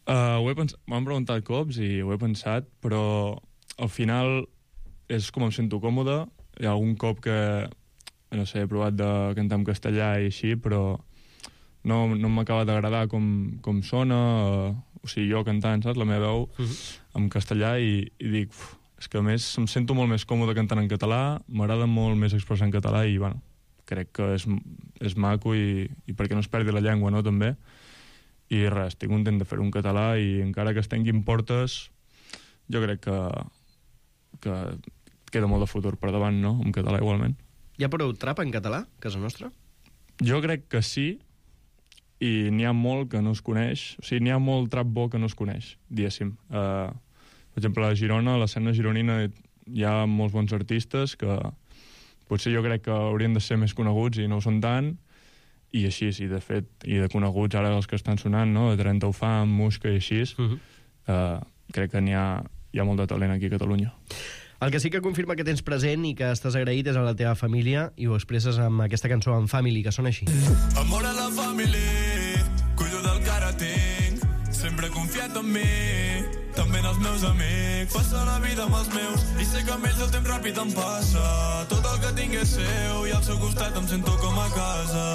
M'han preguntat cops i ho he pensat, però al final és com em sento còmode. Hi ha algun cop que, no sé, he provat de cantar en castellà i així, però no m'acaba d'agradar com sona, o sigui, jo cantant, saps, la meva veu en castellà i dic, és que a més em sento molt més còmode cantant en català, m'agrada molt més expressar en català i, bueno, crec que és maco i perquè no es perdi la llengua, no, també. I res, estic content de fer un català i encara que es tanquin portes, jo crec que queda molt de futur per davant, no?, en català igualment. Hi ha prou trap en català, a casa nostra? Jo crec que sí, i n'hi ha molt que no es coneix, o sigui, n'hi ha molt trap bo que no es coneix, diguéssim. Per exemple, a Girona, a l'escena gironina, hi ha molts bons artistes que potser jo crec que haurien de ser més coneguts i no ho són tant, i així, i de fet, i de coneguts ara els que estan sonant, no?, de 30 Ufam, Musca i així, crec que hi ha molt de talent aquí a Catalunya. El que sí que confirma que tens present i que estàs agraït és a la teva família i ho expresses amb aquesta cançó, en Family, que sona així. Amor a la família, cuido del que ara tinc, sempre he confiat en mi, també en els meus amics. Passa la vida amb els meus i sé que amb ells el temps ràpid em passa. Tot el que tinc és seu i al seu costat em sento com a casa.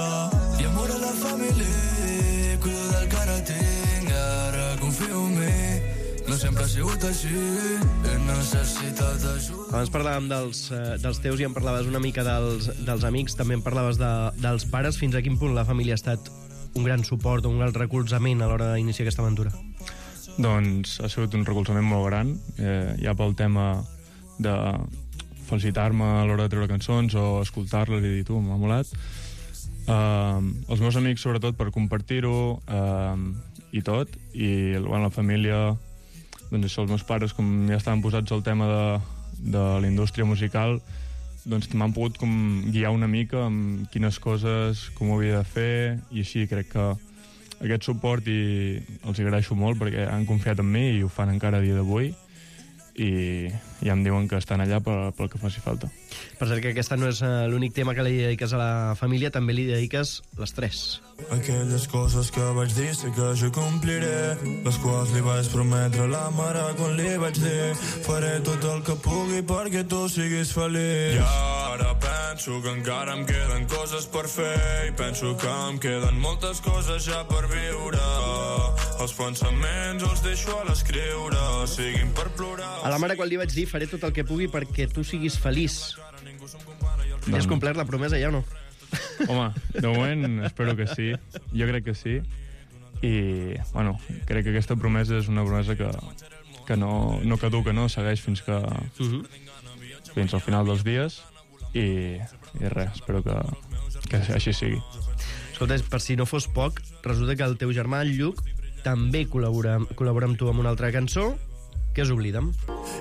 I amor a la família, cuido del que ara tinc, ara confio en mi. No sempre ha sigut així, he necessitat ajuda. Abans parlàvem dels teus i em parlaves una mica dels amics, també em parlaves dels pares. Fins a quin punt la família ha estat un gran suport o un gran recolzament a l'hora d'iniciar aquesta aventura? Doncs ha sigut un recolzament molt gran, ja pel tema de felicitar-me a l'hora de treure cançons o escoltar-les i dir, tu, m'ha molat. Els meus amics, sobretot, per compartir-ho i tot, i la família, doncs això, els meus pares, com ja estaven posats al tema de la indústria musical, doncs m'han pogut com guiar una mica amb quines coses, com ho havia de fer, i així crec que aquest suport i els agraeixo molt perquè han confiat en mi i ho fan encara a dia d'avui i ja em diuen que estan allà pel que faci falta. Per cert que aquesta no és l'únic tema que li dediques a la família, també li dediques les 3. Aquelles coses que vaig dir sé que jo compliré, les quals li vaig prometre a la mare quan li vaig dir faré tot el que pugui perquè tu siguis feliç. I ara penso que encara em queden coses per fer i penso que em queden moltes coses ja per viure. Els pensaments els deixo a l'escriure, siguin per plorar. A la mare quan li vaig dir faré tot el que pugui perquè tu siguis feliç. Ja has complert la promesa, ja o no? Home, de moment espero que sí. Jo crec que sí. I, bueno, crec que aquesta promesa és una promesa que no caduca, no? Segueix fins al final dels dies. I res, espero que així sigui. Escolta, per si no fos poc, resulta que el teu germà, el Lluc, també col·labora amb tu amb una altra cançó, que és Oblida'm.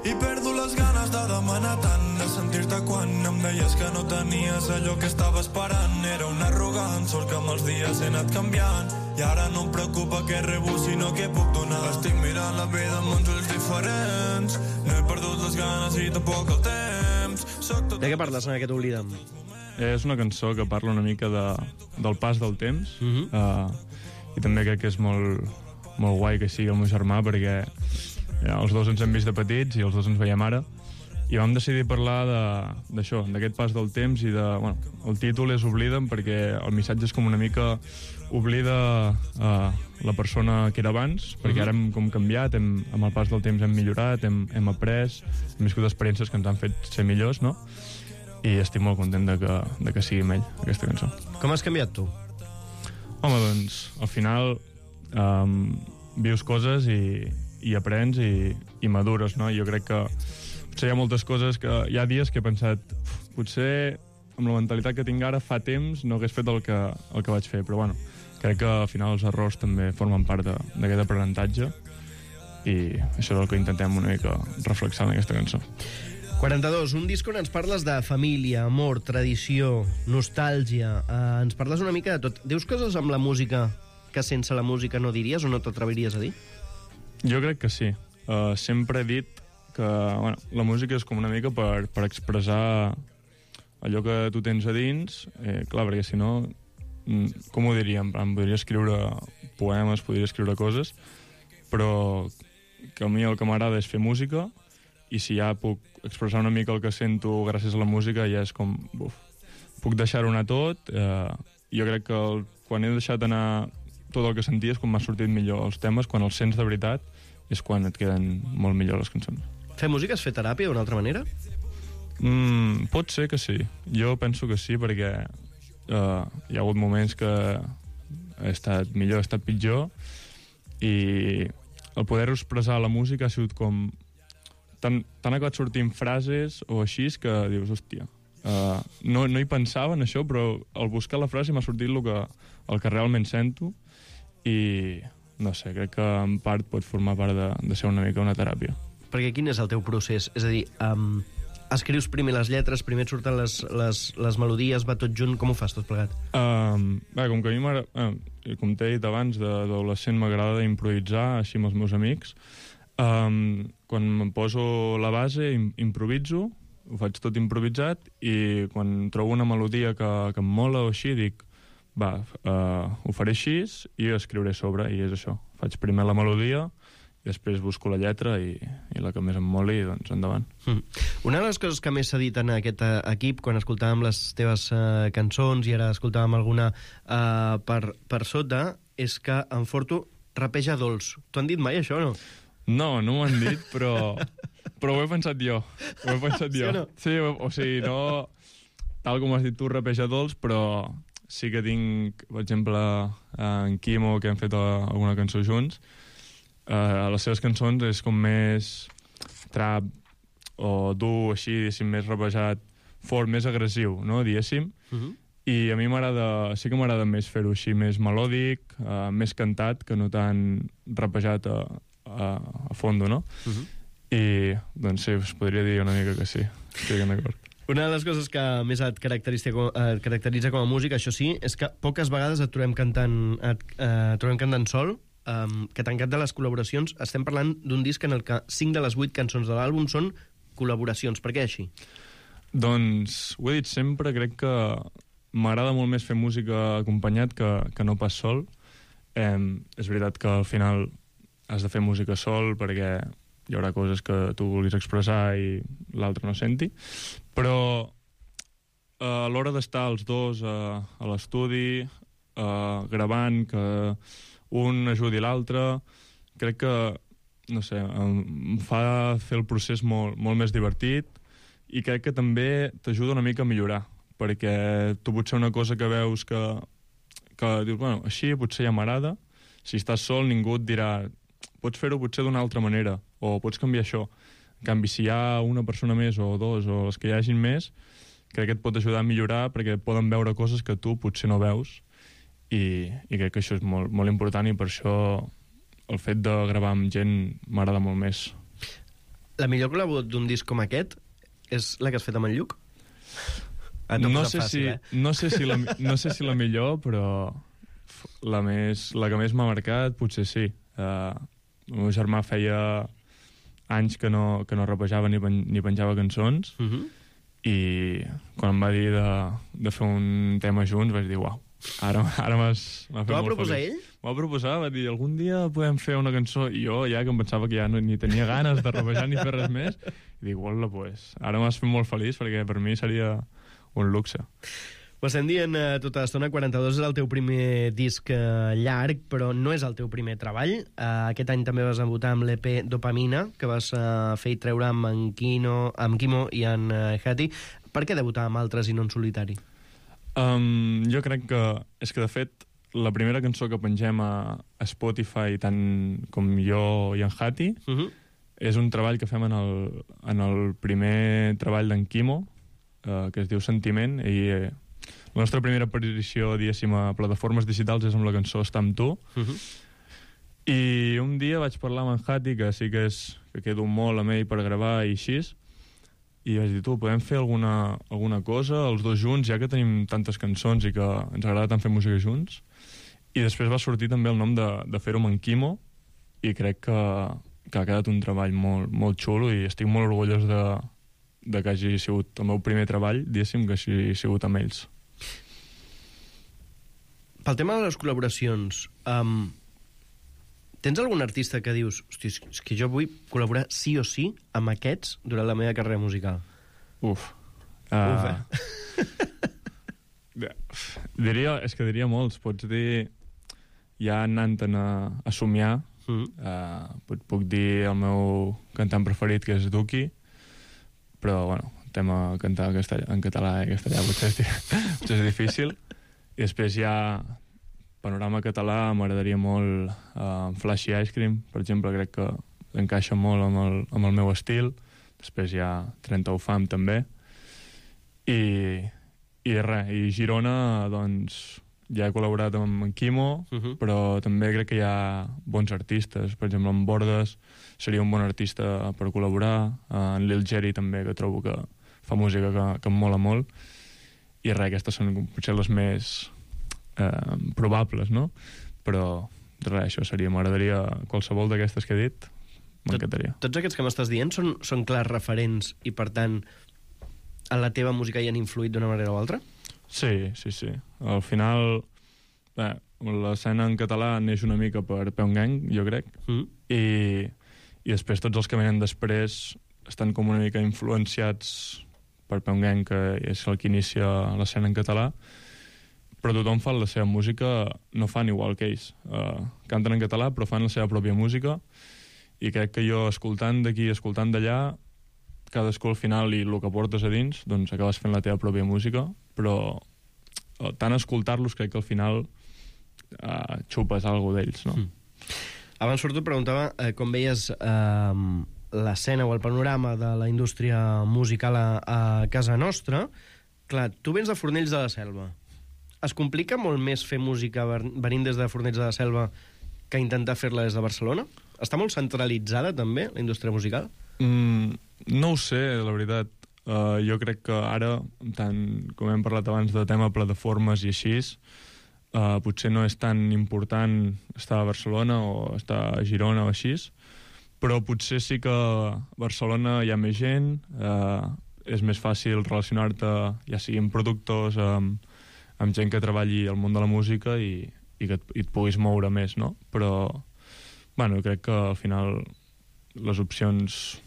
I perdo les ganes de demanar tant, de sentir-te quan em deies que no tenies allò que estava esperant. Era un arrogant, sort que amb els dies he anat canviant, i ara no em preocupa què rebo, sinó què puc donar. Estic mirant la vida amb uns ulls diferents, no he perdut les ganes i tampoc el temps. De què parles en aquest Oblida'm? És una cançó que parla una mica del pas del temps, i també crec que és molt guai que sigui el meu germà, perquè els dos ens hem vist de petits i els dos ens veiem ara, i vam decidir parlar d'això, d'aquest pas del temps, i el títol és Oblida'm perquè el missatge és com una mica oblida la persona que era abans, perquè ara hem com canviat, amb el pas del temps hem millorat, hem après, hem viscut experiències que ens han fet ser millors, no? I estic molt content de que sigui amb ell, aquesta cançó. Com has canviat tu? Home, doncs, al final vius coses i aprens i madures, no? Jo crec que potser hi ha moltes coses que hi ha dies que he pensat potser amb la mentalitat que tinc ara fa temps no hagués fet el que vaig fer, però bueno, crec que al final els errors també formen part d'aquest aprenentatge, i això és el que intentem una mica reflexar en aquesta cançó. 42, un disc on ens parles de família, amor, tradició, nostàlgia, ens parles una mica de tot. Dius coses amb la música que sense la música no diries o no t'atreviries a dir? Jo crec que sí. Sempre he dit que la música és com una mica per expressar allò que tu tens a dins. Clar, perquè si no, com ho diria? Podria escriure poemes, podria escriure coses, però que a mi el que m'agrada és fer música, i si ja puc expressar una mica el que sento gràcies a la música, ja és com... puc deixar-ho anar tot. Jo crec que quan he deixat anar tot el que sentia és quan m'ha sortit millor els temes, quan els sents de veritat és quan et queden molt millor les cançons. Fer música és fer teràpia d'una altra manera? Pot ser que sí. Jo penso que sí, perquè hi ha hagut moments que he estat millor, he estat pitjor, i el poder-ho expressar a la música ha sigut com... T'han acabat sortint frases o així que dius, hòstia, no hi pensava en això, però al buscar la frase m'ha sortit el que realment sento, i no sé, crec que en part pot formar part de ser una mica una teràpia. Perquè quin és el teu procés? És a dir, escrius primer les lletres, primer et surten les melodies, va tot junt, com ho fas tot plegat? Com que a mi m'agrada, com t'he dit abans, d'adolescent m'agrada improvisar així amb els meus amics. Quan em poso la base improviso, ho faig tot improvisat, i quan trobo una melodia que em mola o així dic, ho faré així i escriuré sobre, i és això, faig primer la melodia i després busco la lletra i la que més em moli, doncs endavant. Una de les coses que més s'ha dit en aquest equip, quan escoltàvem les teves cançons i ara escoltàvem alguna per sota, és que en Forto rapeja dolç. T'ho han dit mai, això, o no? No m'ho han dit, però ho he pensat jo. Ho he pensat jo. Sí o no? Sí, o sigui, no... Tal com has dit tu, rapeja dolç, però sí que tinc, per exemple, en Quimo, que hem fet alguna cançó junts, les seves cançons és com més trap o dur, així, diguéssim, més rapejat, fort, més agressiu, no?, diguéssim. I a mi sí que m'agrada més fer-ho així, més melòdic, més cantat, que no tan rapejat a fondo, no? I, doncs sí, us podria dir una mica que sí, estic d'acord. Una de les coses que més et caracteritza com a músic, això sí, és que poques vegades et trobem cantant sol, que tancat de les col·laboracions, estem parlant d'un disc en el que 5 de les 8 cançons de l'àlbum són col·laboracions. Per què així? Doncs ho he dit sempre, crec que m'agrada molt més fer música acompanyat que no pas sol. És veritat que al final has de fer música sol perquè hi haurà coses que tu vulguis expressar i l'altre no senti, però a l'hora d'estar els dos a l'estudi gravant, que un ajudi l'altre, crec que, no sé, em fa fer el procés molt més divertit, i crec que també t'ajuda una mica a millorar, perquè tu potser una cosa que veus que dius, bueno, així potser ja m'agrada, si estàs sol ningú et dirà pots fer-ho potser d'una altra manera, o pots canviar això. En canvi, si hi ha una persona més o dos, o els que hi hagin més, crec que et pot ajudar a millorar perquè poden veure coses que tu potser no veus, i crec que això és molt, molt important, i per això el fet de gravar amb gent m'agrada molt més. La millor col·laboració d'un disc com aquest és la que has fet amb en Lluc? No sé si la millor, però la que més m'ha marcat potser sí. El meu germà feia anys que no rapejava ni penjava cançons, i quan em va dir de fer un tema junts vaig dir, uau, ara m'ha fet molt feliç. T'ho va proposar ell? M'ho va proposar, va dir, algun dia podem fer una cançó, i jo ja que em pensava que ja ni tenia ganes de rapejar ni fer res més, i dic, uala, pues, ara m'has fet molt feliç, perquè per mi seria un luxe. Ho estem dient tota l'estona, 42 és el teu primer disc llarg, però no és el teu primer treball. Aquest any també vas debutar amb l'EP Dopamina, que vas fer i treure amb Quimo i en Hati. Per què debutar amb altres i no en solitari? Jo crec que és que, de fet, la primera cançó que pengem a Spotify, tant com jo i en Hati, és un treball que fem en el primer treball d'en Quimo, que es diu Sentiment, i la nostra primera aparició, diguéssim, a plataformes digitals és amb la cançó Està amb tu. I un dia vaig parlar amb en Hati, que sí que quedo molt amb ell per gravar i així, i vaig dir, podem fer alguna cosa els dos junts, ja que tenim tantes cançons i que ens agrada tant fer música junts. I després va sortir també el nom de fer-ho amb en Quimo, i crec que ha quedat un treball molt, molt xulo, i estic molt orgullós de que hagi sigut el meu primer treball, diguéssim, que hagi sigut amb ells. Pel tema de les col·laboracions, tens algun artista que dius, hosti, és que jo vull col·laborar sí o sí amb aquests durant la meva carrera musical? Diria molts. Pots dir, ja anant a somiar, puc dir el meu cantant preferit, que és Duki, però, bueno, el tema cantar en català i castellà potser és difícil. I després ja panorama català m'agradaria molt Flashy Ice Cream, per exemple, crec que encaixa molt amb el meu estil. Després hi ha 30 Fam també, i Girona, doncs ja he col·laborat amb en Quimo, però també crec que hi ha bons artistes. Per exemple, en Bordes seria un bon artista per col·laborar, en Lil Jerry també, que trobo que fa música que em mola molt, i aquestes són potser les més probables, no? Però això seria, m'agradaria qualsevol d'aquestes que he dit, m'encantaria. Tots aquests que m'estàs dient són clars referents i, per tant, en la teva música hi han influït d'una manera o altra? Sí. Al final, l'escena en català neix una mica per Peon Gang, jo crec, i després tots els que venen després estan com una mica influenciats per Peon Gang, que és el que inicia l'escena en català, però tothom fa la seva música, no fan igual que ells. Canten en català, però fan la seva pròpia música, i crec que jo, escoltant d'aquí, escoltant d'allà, cadascú al final, i el que portes a dins, doncs acabes fent la teva pròpia música, però tant escoltar-los crec que al final xupes alguna d'ells, no? Abans sobretot preguntava com veies l'escena o el panorama de la indústria musical a casa nostra. Clar, tu vens de Fornells de la Selva. Es complica molt més fer música venint des de Fornells de la Selva que intentar fer-la des de Barcelona? Està molt centralitzada, també, la indústria musical? No ho sé, la veritat. Jo crec que ara, tant com hem parlat abans de tema plataformes i així, potser no és tan important estar a Barcelona o estar a Girona o així, però potser sí que a Barcelona hi ha més gent, és més fàcil relacionar-te, ja sigui amb productors, amb gent que treballi al món de la música i que et puguis moure més, no? Però, bueno, crec que al final les opcions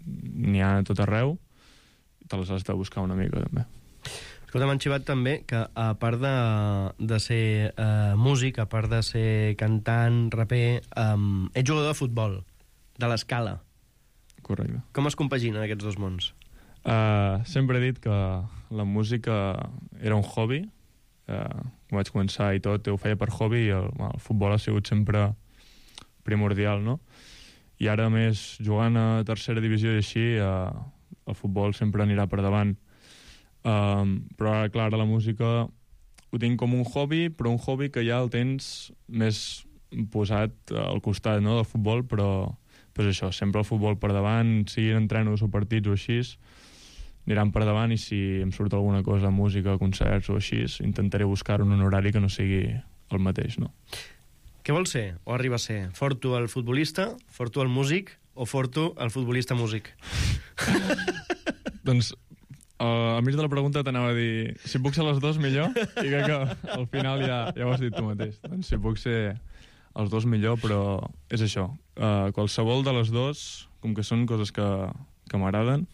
n'hi ha a tot arreu, te les has de buscar una mica, també. Escolta, m'han xivat també que, a part de ser músic, a part de ser cantant, raper, ets jugador de futbol, de l'Escala. Correcte. Com es compaginen aquests dos mons? Sempre he dit que la música era un hobby. Quan vaig començar i tot, ho feia per hobby, i el futbol ha sigut sempre primordial, no? I ara, més, jugant a tercera divisió i així, el futbol sempre anirà per davant. Però ara, clar, la música ho tinc com un hobby, però un hobby que ja el tens més posat al costat, no?, del futbol, però pues això, sempre el futbol per davant, siguin entrenos o partits o així, aniran per davant, i si em surt alguna cosa, música, concerts o així, intentaré buscar un horari que no sigui el mateix, no? Què vols ser, o arriba a ser? Forto el futbolista, Forto el músic, o Forto el futbolista músic? Doncs al mig de la pregunta t'anava a dir si puc ser les dos millor, i crec que al final ja ho has dit tu mateix. Doncs si puc ser els dos millor, però és això. Qualsevol de les dos, com que són coses que m'agraden,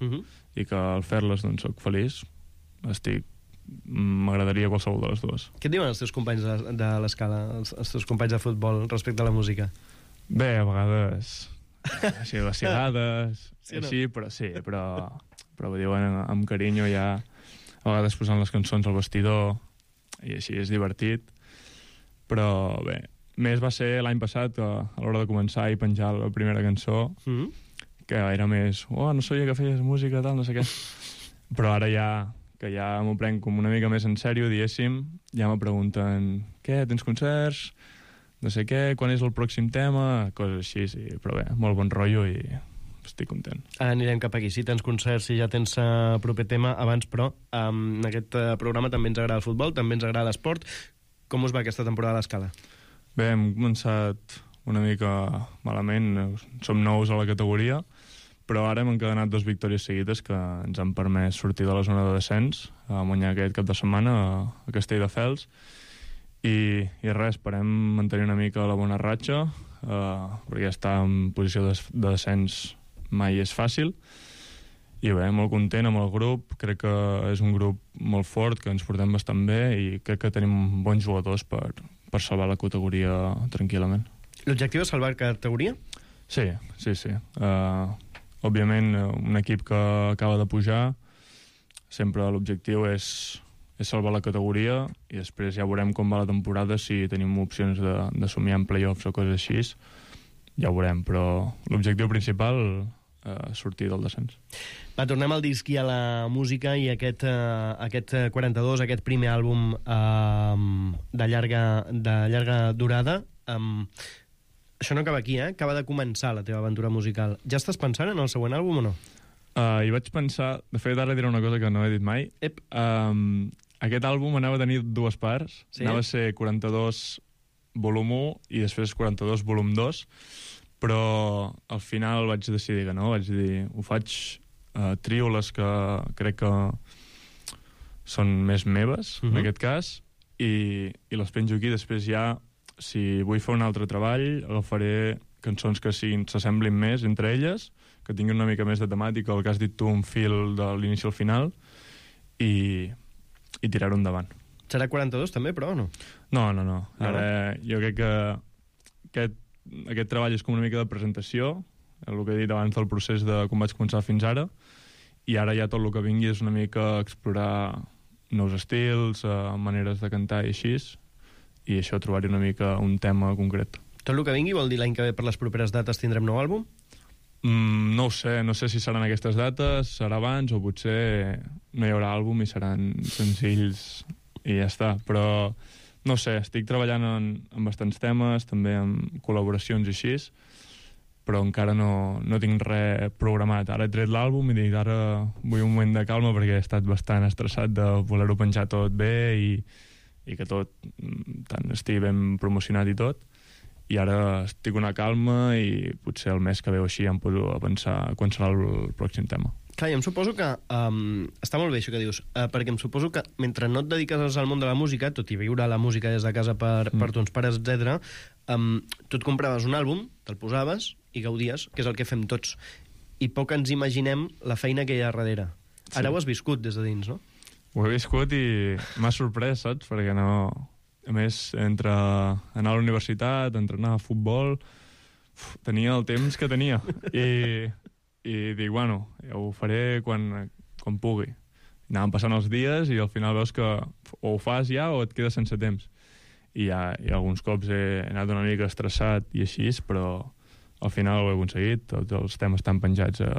i que al fer-les doncs soc feliç, m'agradaria qualsevol de les dues. Què et diuen els teus companys de l'escala, els teus companys de futbol respecte a la música? Bé, a vegades així vacilades, sí, no? així, però ho diuen amb carinyo, ja a vegades posant les cançons al vestidor, i així és divertit. Però bé, més va ser l'any passat, a l'hora de començar i penjar la primera cançó, que era més, no sabia que feies música, tal, no sé què. Però ara ja, que ja m'ho prenc com una mica més en sèrio, diguéssim, ja me pregunten, què, tens concerts? No sé què, quan és el pròxim tema? Coses així, sí, però bé, molt bon rotllo i estic content. Anirem cap aquí. Si tens concerts, si ja tens proper tema, abans, però en aquest programa també ens agrada el futbol, també ens agrada l'esport. Com us va aquesta temporada a l'Escala? Bé, hem començat una mica malament, som nous a la categoria, però ara hem encadenat 2 victòries seguides que ens han permès sortir de la zona de descens, a guanyar aquest cap de setmana a Castelldefels, i res, esperem mantenir una mica la bona ratxa, perquè estar en posició de descens mai és fàcil, i bé, molt content amb el grup, crec que és un grup molt fort, que ens portem bastant bé, i crec que tenim bons jugadors per salvar la categoria tranquil·lament. L'objectiu és salvar categoria? Sí. Òbviament, un equip que acaba de pujar, sempre l'objectiu és salvar la categoria, i després ja veurem com va la temporada, si tenim opcions de somiar en play-offs o coses així, ja ho veurem, però l'objectiu principal sortir del descens. Va, tornem al disc i a la música, i aquest 42, aquest primer àlbum de llarga durada. Això no acaba aquí, acaba de començar la teva aventura musical. Ja estàs pensant en el següent àlbum o no? Hi vaig pensar, de fet ara diré una cosa que no he dit mai. Aquest àlbum anava a tenir 2 parts, sí? Anava a ser 42 volum 1 i després 42 volum 2, però al final vaig decidir que no, vaig dir, ho faig trio les que crec que són més meves, en aquest cas, i les penjo aquí. Després ja, si vull fer un altre treball, agafaré cançons que s'assemblin més entre elles, que tinguin una mica més de temàtica, el que has dit tu, un fil de l'inici al final, i tirar-ho endavant. Serà 42 també, però, o no? No. Ara, jo crec que aquest treball és com una mica de presentació, el que he dit abans del procés de com vaig començar fins ara, i ara ja tot el que vingui és una mica explorar nous estils, maneres de cantar i així, i això, trobar-hi una mica un tema concret. Tot el que vingui vol dir l'any que ve per les properes dates tindrem nou àlbum? No ho sé, no sé si seran aquestes dates, serà abans, o potser no hi haurà àlbum i seran senzills i ja està, però no sé, estic treballant en bastants temes, també en col·laboracions i així, però encara no tinc res programat. Ara he tret l'àlbum i dic, ara vull un moment de calma perquè he estat bastant estressat de voler-ho penjar tot bé i que tot tant estigui ben promocionat i tot, i ara estic una calma i potser el mes que ve o així em poso a pensar quan serà el pròxim tema. Clar, i em suposo que està molt bé això que dius, perquè em suposo que mentre no et dediques al món de la música, tot i viure la música des de casa per tons pares, etc., tu et compraves un àlbum, te'l posaves i gaudies, que és el que fem tots. I poc ens imaginem la feina que hi ha darrere. Ara ho has viscut des de dins, no? Ho he viscut i m'ha sorprès, saps? Perquè no... A més, entre anar a la universitat, entrenar a futbol, tenia el temps que tenia. I dic, bueno, ja ho faré quan pugui. Anàvem passant els dies i al final veus que o ho fas ja o et quedes sense temps. I alguns cops he anat una mica estressat i així, però al final ho he aconseguit. Tots els temes estan penjats a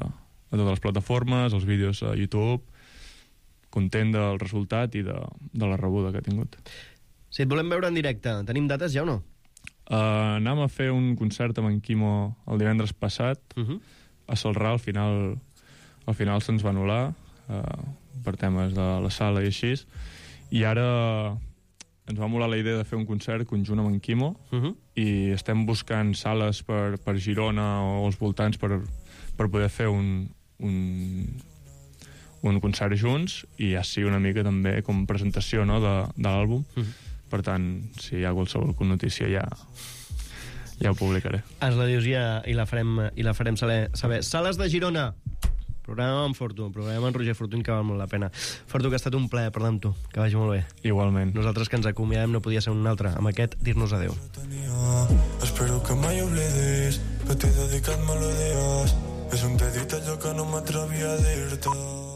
totes les plataformes, els vídeos a YouTube, content del resultat i de la rebuda que ha tingut. Si et volem veure en directe, tenim dates ja o no? Anàvem a fer un concert amb en Quimo el divendres passat, a Celrà. Al final se'ns va anul·lar per temes de la sala i així, i ara ens va molar la idea de fer un concert conjunt amb en Quimo, i estem buscant sales per Girona o als voltants per poder fer un concert junts, i ja sigui una mica també com presentació, no, de l'àlbum. Per tant, si hi ha qualsevol notícia ja ho publicaré. Ens la dius ja i la farem saber. Sales de Girona, programa amb Fortun, programa amb Roger Fortuny, que val molt la pena. Fortu, que ha estat un plaer parlar amb tu, que vagi molt bé. Igualment. Nosaltres que ens acomiadem no podia ser un altre, amb aquest dir-nos adeu. Espero que mai oblidis que t'he dedicat melodies. És un petit allò que no m'atrevia a dir-te.